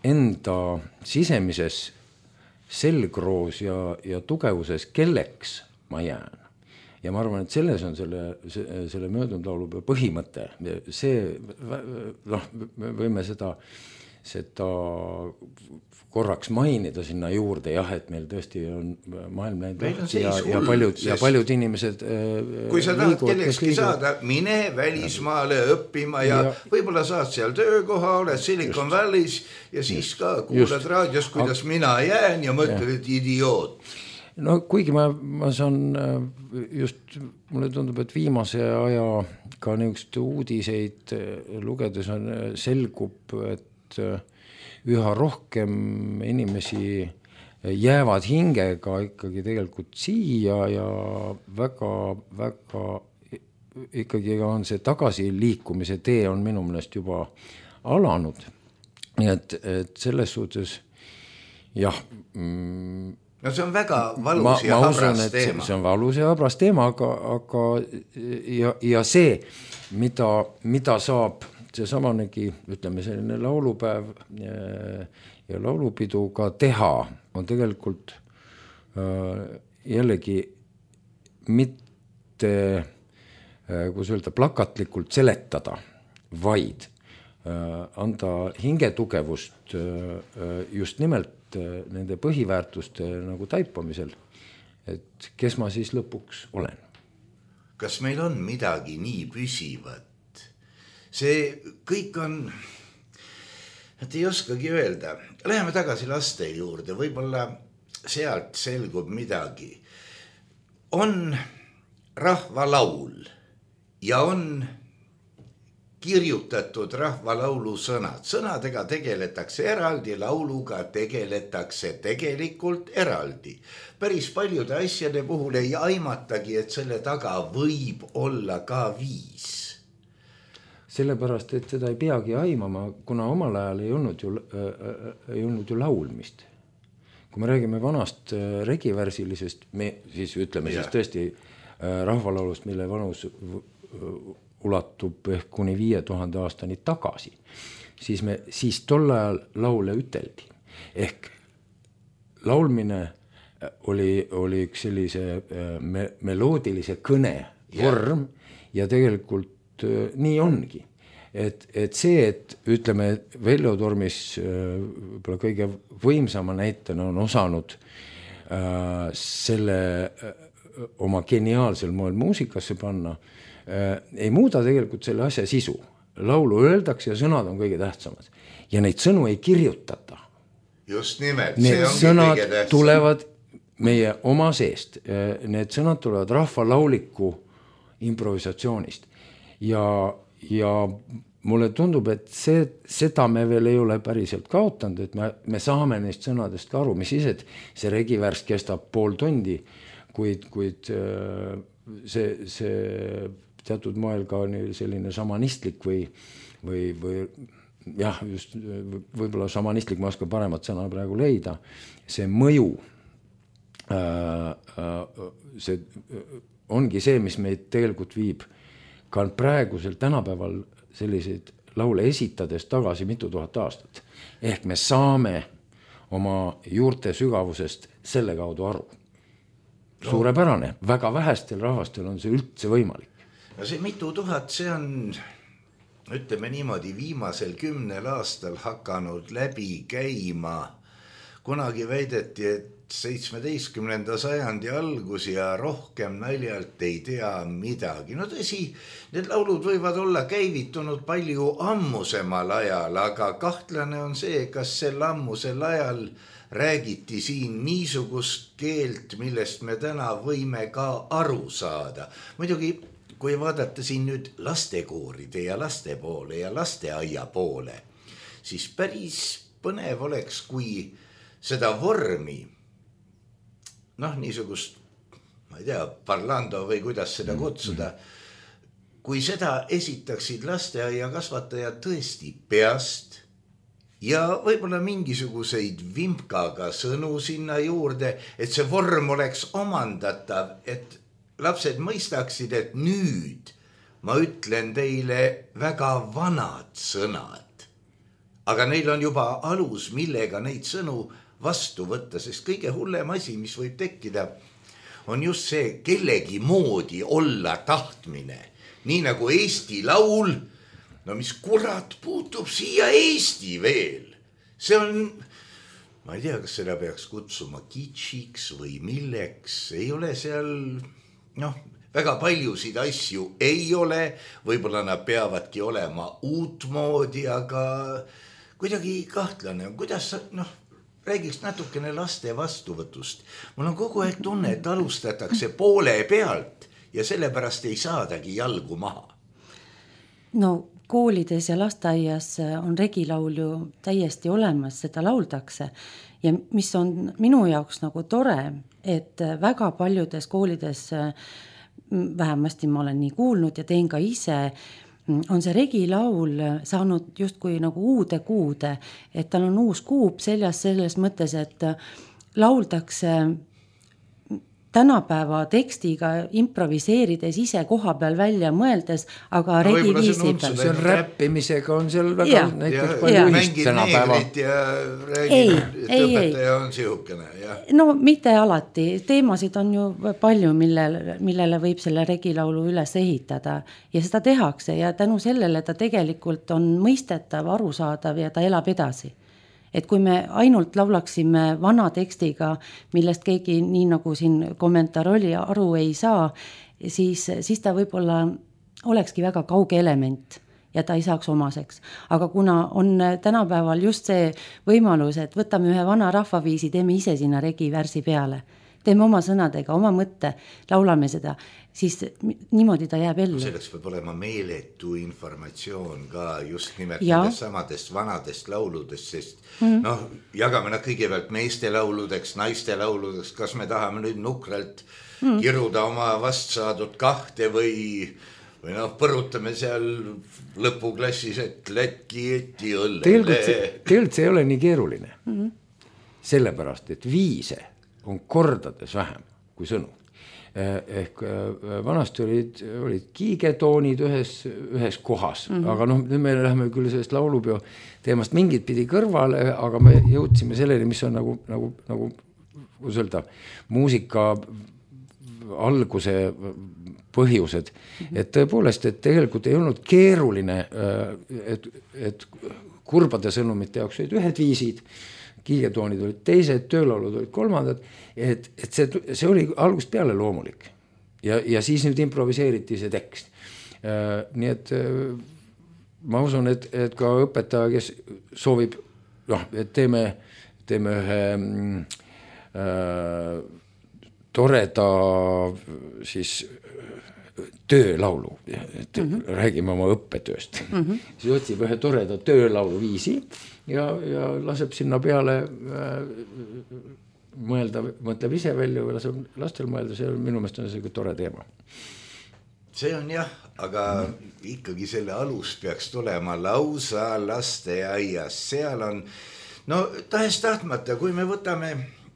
enda sisemises selgroos ja tugevuses, kelleks ma jään. Ja ma arvan, et selles on selle möödunud laulu põhimõte. See, me võime seda seda korraks mainida sinna juurde, jah, et meil tõesti on maailm läinud lahti ja paljud inimesed kui sa tahad kellekski saada, mine välismaale õppima ja võib-olla saad seal töökoha, oled Silicon Valley's ja siis ka kuulad raadios, kuidas mina jään ja mõtled, et idioot. No kuigi ma saan just, mulle tundub, et viimase aja ka niisugust uudiseid lugedes selgub, et üha rohkem inimesi jäävad hingega ikkagi tegelikult siia ja väga ikkagi on see tagasiliikumise tee on minu meelest juba alanud. Nii et selles suhtes jah, no see on väga valus ja habras teema. See on valus ja habras teema, aga ja see, mida saab seesamanegi, ütleme selline laulupäev ja laulupidu ka teha, on tegelikult jällegi mitte, kuidas öelda, plakatlikult seletada, vaid anda hingetugevust just nimelt nende põhiväärtuste nagu taipamisel, et kes ma siis lõpuks olen. Kas meil on midagi nii püsivat? See kõik on, et ei oskagi öelda. Läheme tagasi laste juurde, võib-olla sealt selgub midagi. On rahvalaul ja on kirjutatud rahvalaulu sõnad. Sõnadega tegeletakse eraldi, lauluga tegeletakse tegelikult eraldi. Päris paljude asjade puhul ei aimatagi, et selle taga võib olla ka viis. Sellepärast, et seda ei peagi aimama, kuna omal ajal ei olnud ju laulmist. Kui me räägime vanast regivärsilisest, me siis ütleme siis tõesti rahvalaulust, mille vanus ulatub ehk kuni 5000 aastani tagasi, siis tol ajal laule üteldi. Ehk laulmine oli üks sellise meloodilise kõne vorm ja tegelikult nii ongi. Et see, et ütleme, Veljo Tormis kõige võimsama näitena on osanud selle oma geniaalsel moel muusikasse panna, ei muuda tegelikult selle asja sisu. Laulu öeldakse ja sõnad on kõige tähtsamad. Ja neid sõnu ei kirjutata. Just nimelt. Need sõnad tulevad meie oma seest. Need sõnad tulevad rahvalauliku improvisatsioonist. Ja mulle tundub, et seda me veel ei ole päriselt kaotanud, et me saame neist sõnadest ka aru, mis siis, et see regivärs kestab pool tundi, kuid see teatud moel ka selline šamanistlik või jah, just võib-olla šamanistlik, ma oskan paremat sõna praegu leida, see mõju, see ongi see, mis meid tegelikult viib ka praegusel tänapäeval selliseid laule esitades tagasi mitu tuhat aastat. Ehk me saame oma juurte sügavusest selle kaudu aru. Suurepärane, väga vähestel rahvastel on see üldse võimalik. No see mitu tuhat, see on, ütleme niimoodi, viimasel 10 aastal hakanud läbi käima. Kunagi väideti, et 17. sajandi algus ja rohkem naljalt ei tea midagi. No tõsi, need laulud võivad olla käivitunud palju ammusemal ajal, aga kahtlane on see, kas sel ammusel ajal räägiti siin niisugust keelt, millest me täna võime ka aru saada. Muidugi, kui vaadata siin nüüd lastekooride ja laste poole ja lasteaia poole, siis päris põnev oleks, kui seda vormi, niisugust, ma ei tea, parlando või kuidas seda kutsuda, kui seda esitaksid lasteaia kasvatajad tõesti peast ja võib-olla mingisuguseid vimkaga sõnu sinna juurde, et see vorm oleks omandatav, et lapsed mõistaksid, et nüüd ma ütlen teile väga vanad sõnad, aga neil on juba alus, millega neid sõnu vastu võtta, sest kõige hullem asi, mis võib tekkida, on just see kellegi moodi olla tahtmine. Nii nagu Eesti laul, no mis kurat puutub siia Eesti veel. see on, ma ei tea, kas seda peaks kutsuma kitschiks või milleks, ei ole seal, väga paljusid asju ei ole, võib-olla nad peavadki olema uutmoodi, aga kuidagi kahtlane, kuidas sa, räägiks natukene laste vastuvõtust. Mul on kogu aeg tunne, et alustatakse poole pealt ja sellepärast ei saadagi jalgu maha. No koolides ja lasteaias on regilaul ju täiesti olemas, seda lauldakse. Ja mis on minu jaoks nagu tore, et väga paljudes koolides, vähemasti ma olen nii kuulnud ja teen ka ise, on see regilaul saanud justkui nagu uude kuude, et tal on uus kuub seljas selles mõttes, et lauldakse tänapäeva tekstiga improviseerides ise koha peal välja mõeldes, aga regi viisi peal. See on räppimisega on seal väga näiteks palju ühist tänapäeva. Ja räägid, et õpetaja on sihukene. No mitte alati. Teemasid on ju palju, millele võib selle regilaulu üles ehitada ja seda tehakse ja tänu sellele ta tegelikult on mõistetav, arusaadav ja ta elab edasi. Et kui me ainult laulaksime vana tekstiga, millest keegi nii nagu siin kommentaar oli, aru ei saa, siis ta võib-olla olekski väga kauge element ja ta ei saaks omaseks. Aga kuna on tänapäeval just see võimalus, et võtame ühe vana rahvaviisi, teeme ise sinna regivärsi peale, teeme oma sõnadega, oma mõtte, laulame seda, siis niimoodi ta jääb ellu. Selleks peab olema meeletu informatsioon ka just nimelt nendest samadest vanadest lauludest, sest jagame nad kõigepealt meeste lauludeks, naiste lauludeks, kas me tahame nüüd nukralt kiruda oma vastsaadud kahte või põrutame seal lõpuklassis, et Lätki eti õlle. Tegelikult see ei ole nii keeruline. Sellepärast, et viise on kordades vähem kui sõnu. Ehk vanasti olid kiigetoonid ühes kohas, aga nüüd me läheme küll sellest laulupeo teemast mingit pidi kõrvale, aga me jõudsime selleni, mis on nagu kuidas öelda, muusika alguse põhjused, et tõepoolest, et tegelikult ei olnud keeruline, et kurbade sõnumite jaoks olid ühed viisid, kiigetoonid olid teised, töölaulud olid kolmandad, et see oli algusest peale loomulik. Ja siis nüüd improviseeriti see tekst. Nii et ma usun, et ka õpetaja, kes soovib, et teeme ühe toreda siis töölaulu, et räägime oma õppetööst. Siis otsib ühe toreda töölaulu viisi ja laseb sinna peale mõtleb ise välja või laseb lastel mõelda, see on minu meelest on see tore teema. See on jah, aga ikkagi selle alus peaks tulema lausa lasteaias, seal on, tahes tahtmata, kui me võtame,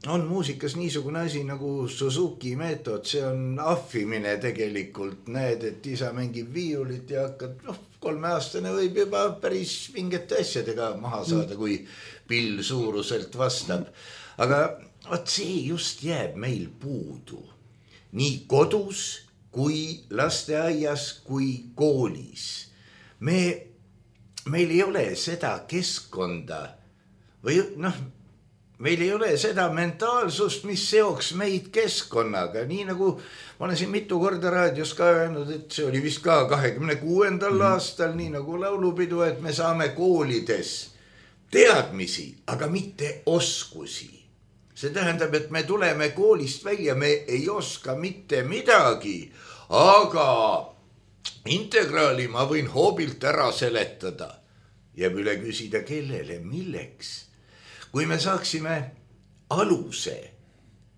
on muusikas niisugune asi nagu Suzuki meetod, see on ahvimine tegelikult, näed, et isa mängib viiulit ja hakkad, 3-aastane võib juba päris mingite asjadega maha saada, kui pill suuruselt vastab, aga see just jääb meil puudu, nii kodus kui lasteaias kui koolis. Meil ei ole seda keskkonda või meil ei ole seda mentaalsust, mis seoks meid keskkonnaga, nii nagu ma olen siin mitu korda raadios ka öelnud, et see oli vist ka 26. aastal, nii nagu laulupidu, et me saame koolides teadmisi, aga mitte oskusi. See tähendab, et me tuleme koolist välja, me ei oska mitte midagi, aga integraali ma võin hoobilt ära seletada. Jääb üle küsida, kellele, milleks. Kui me saaksime aluse,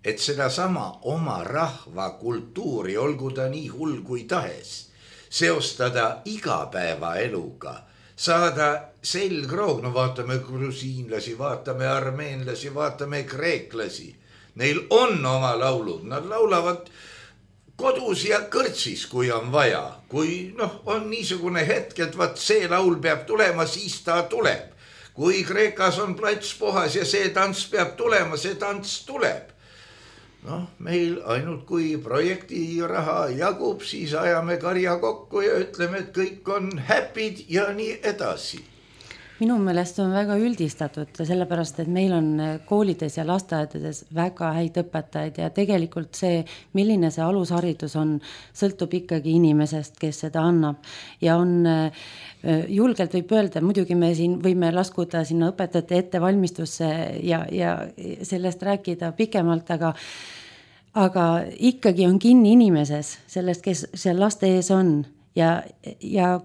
et seda sama oma rahva kultuuri, olgu ta nii hull kui tahes, seostada igapäevaeluga, saada selgroog, vaatame grusiinlasi, vaatame armeenlasi, vaatame kreeklasi. Neil on oma laulud, nad laulavad kodus ja kõrtsis, kui on vaja. Kui on niisugune hetk, et see laul peab tulema, siis ta tuleb. Kui Kreekas on plats puhas ja see tants peab tulema, see tants tuleb. Meil ainult kui projekti raha jagub, siis ajame karja kokku ja ütleme, et kõik on happy'd ja nii edasi. Minu meelest on väga üldistatud, sellepärast, et meil on koolides ja lasteaedades väga häid õpetajaid ja tegelikult see, milline see alusharidus on, sõltub ikkagi inimesest, kes seda annab. Ja on julgelt võib öelda, muidugi me siin võime laskuda sinna õpetajate ettevalmistusse ja sellest rääkida pikemalt, aga ikkagi on kinni inimeses sellest, kes seal laste ees on. Ja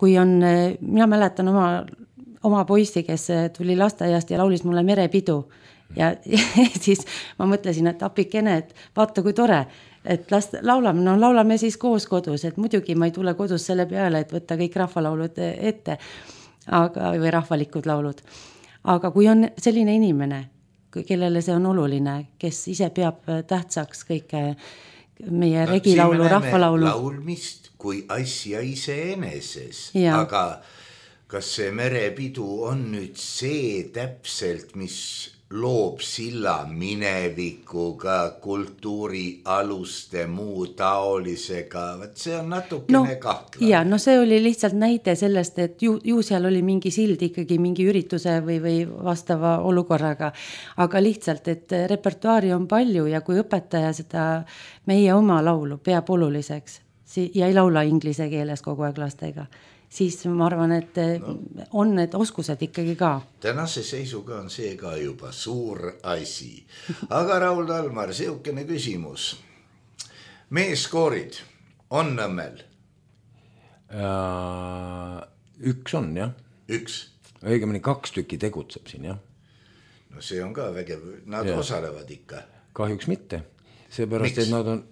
kui on, mina mäletan oma poissi, kes tuli lasteaiast ja laulis mulle Merepidu ja siis ma mõtlesin, et apikene, et vaata kui tore, et laulame siis koos kodus, et muidugi ma ei tule kodus selle peale, et võtta kõik rahvalaulud ette või rahvalikud laulud. Aga kui on selline inimene, kellele see on oluline, kes ise peab tähtsaks kõike meie regilaulu, rahvalaulu. Laulmist kui asja iseeneses, aga kas see Merepidu on nüüd see täpselt, mis loob silla minevikuga, kultuuri aluste, muu taolisega, see on natukene kahtlane. Ja, see oli lihtsalt näide sellest, et ju seal oli mingi sild ikkagi mingi ürituse või vastava olukorraga, aga lihtsalt, et repertuaari on palju ja kui õpetaja seda meie oma laulu peab oluliseks ja ei laula inglise keeles kogu aeg lastega, siis ma arvan, et on need oskused ikkagi ka. Tänase seisuga on see ka juba suur asi. Aga Raul Talmar, seukene küsimus. Meeskoorid on Nõmmel? Üks on, jah. Üks? Õigemini 2 tükki tegutseb siin, jah. No see on ka vägev. Nad osalevad ikka? Kahjuks mitte. Seepärast, et nad on,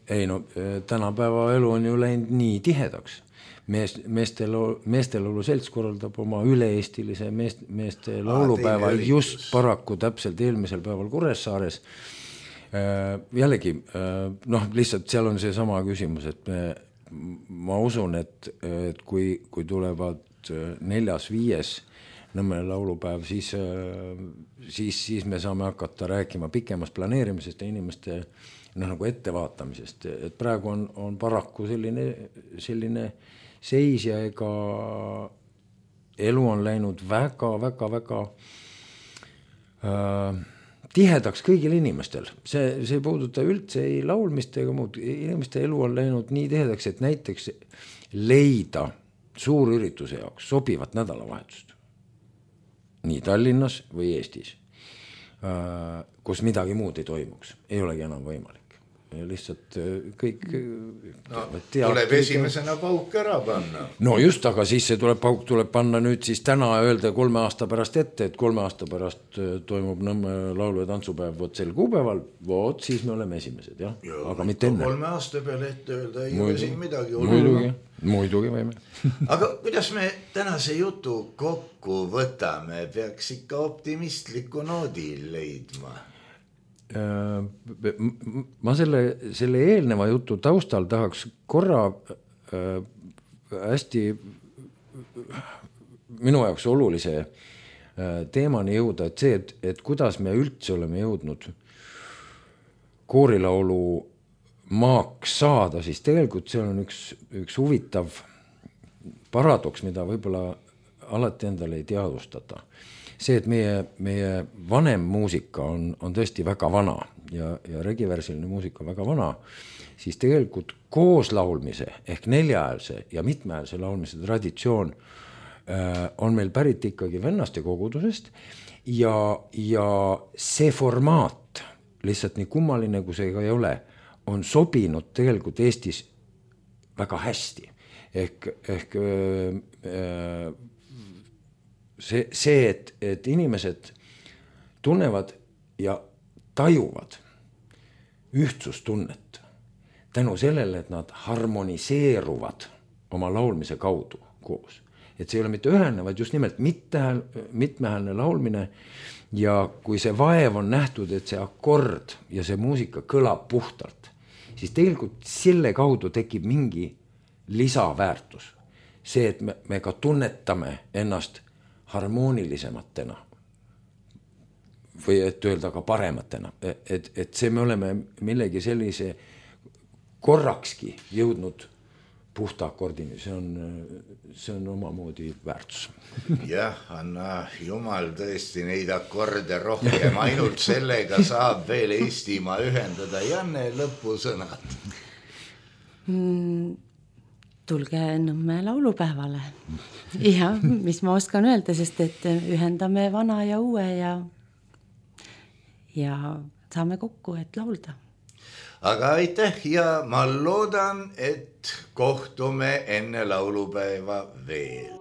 tänapäeva elu on ju läinud nii tihedaks. Meestelaulu selts korraldab oma üle-eestilise meeste laulupäeva just paraku täpselt eelmisel päeval Kuressaares. Jällegi, lihtsalt seal on see sama küsimus, et ma usun, et kui tulevad 4.–5. Nõmme laulupäev, siis me saame hakata rääkima pikemast planeerimisest ja inimeste nagu ettevaatamisest, et praegu on paraku selline seis ja ega elu on läinud väga tihedaks kõigil inimestel. See ei puuduta üldse ei laulmist ega muud. Inimeste elu on läinud nii tihedaks, et näiteks leida suurürituse jaoks sobivat nädalavahetust. Nii Tallinnas või Eestis, kus midagi muud ei toimuks. Ei olegi enam võimalik. Lihtsalt kõik tuleb esimesena pauk ära panna. No just, aga siis see pauk tuleb panna nüüd siis täna öelda 3 aasta pärast ette, et 3 aasta pärast toimub Nõmme laulu- ja tantsupäev sel kuupäeval, siis me oleme esimesed, jah. Aga mitte enne. 3 aasta peale ette öelda ei ole siin midagi. Muidugi võime. Aga kuidas me tänase jutu kokku võtame, peaks ikka optimistliku noodi leidma? Ma selle eelneva jutu taustal tahaks korra hästi minu jaoks olulise teemani jõuda, et see, et kuidas me üldse oleme jõudnud koorilaulu maaks saada, siis tegelikult see on üks huvitav paradoks, mida võib-olla alati endale ei teadvustata. See, et meie vanem muusika on tõesti väga vana ja regiversiline muusika on väga vana, siis tegelikult koos laulmise ehk 4-häälse ja mitmeäälse laulmise traditsioon on meil pärit ikkagi vennaste kogudusest ja see formaat, lihtsalt nii kummaline kui see ka ei ole, on sobinud tegelikult Eestis väga hästi. Ehk see, et inimesed tunnevad ja tajuvad ühtsustunnet tänu sellele, et nad harmoniseeruvad oma laulmise kaudu koos. Et see ei ole mitte ühene, vaid just nimelt mitmehäälne laulmine ja kui see vaev on nähtud, et see akord ja see muusika kõlab puhtalt, siis tegelikult selle kaudu tekib mingi lisaväärtus. See, et me ka tunnetame ennast harmoonilisematena või et öelda ka parematena, et see me oleme millegi sellise korrakski jõudnud puhta akordini, see on omamoodi väärtus. Jah, anna jumal tõesti neid akorde rohkem, ainult sellega saab veel Eestimaa ühendada. Janne, lõpusõnad. Tulge Nõmme laulupäevale. Ja mis ma oskan öelda, sest et ühendame vana ja uue ja saame kokku, et laulda. Aga aitäh ja ma loodan, et kohtume enne laulupäeva veel.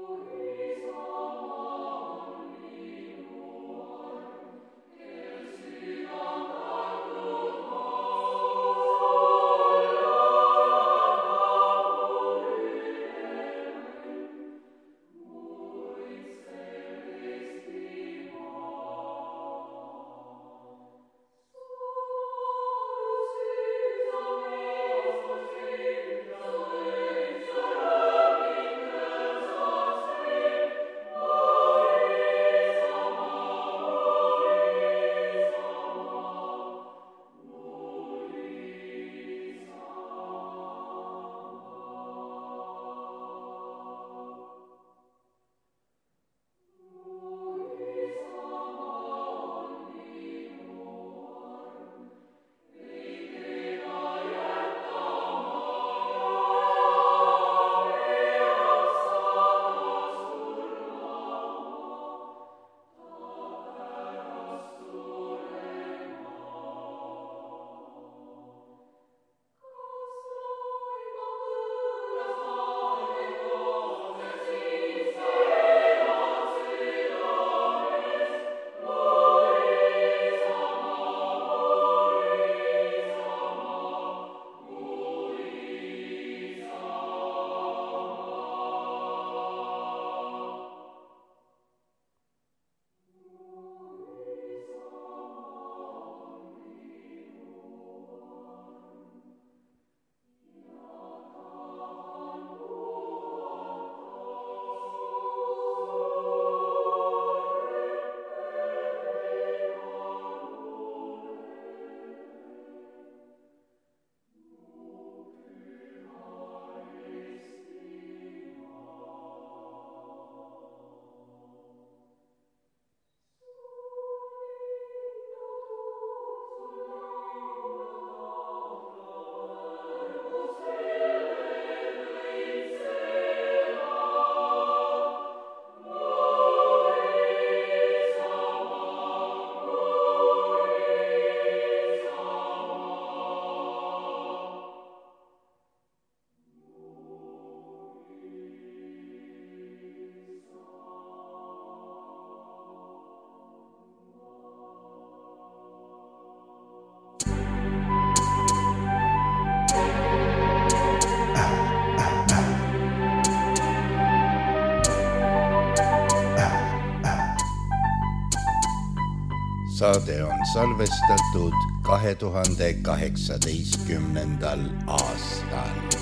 Saade on salvestatud 2018. aastal.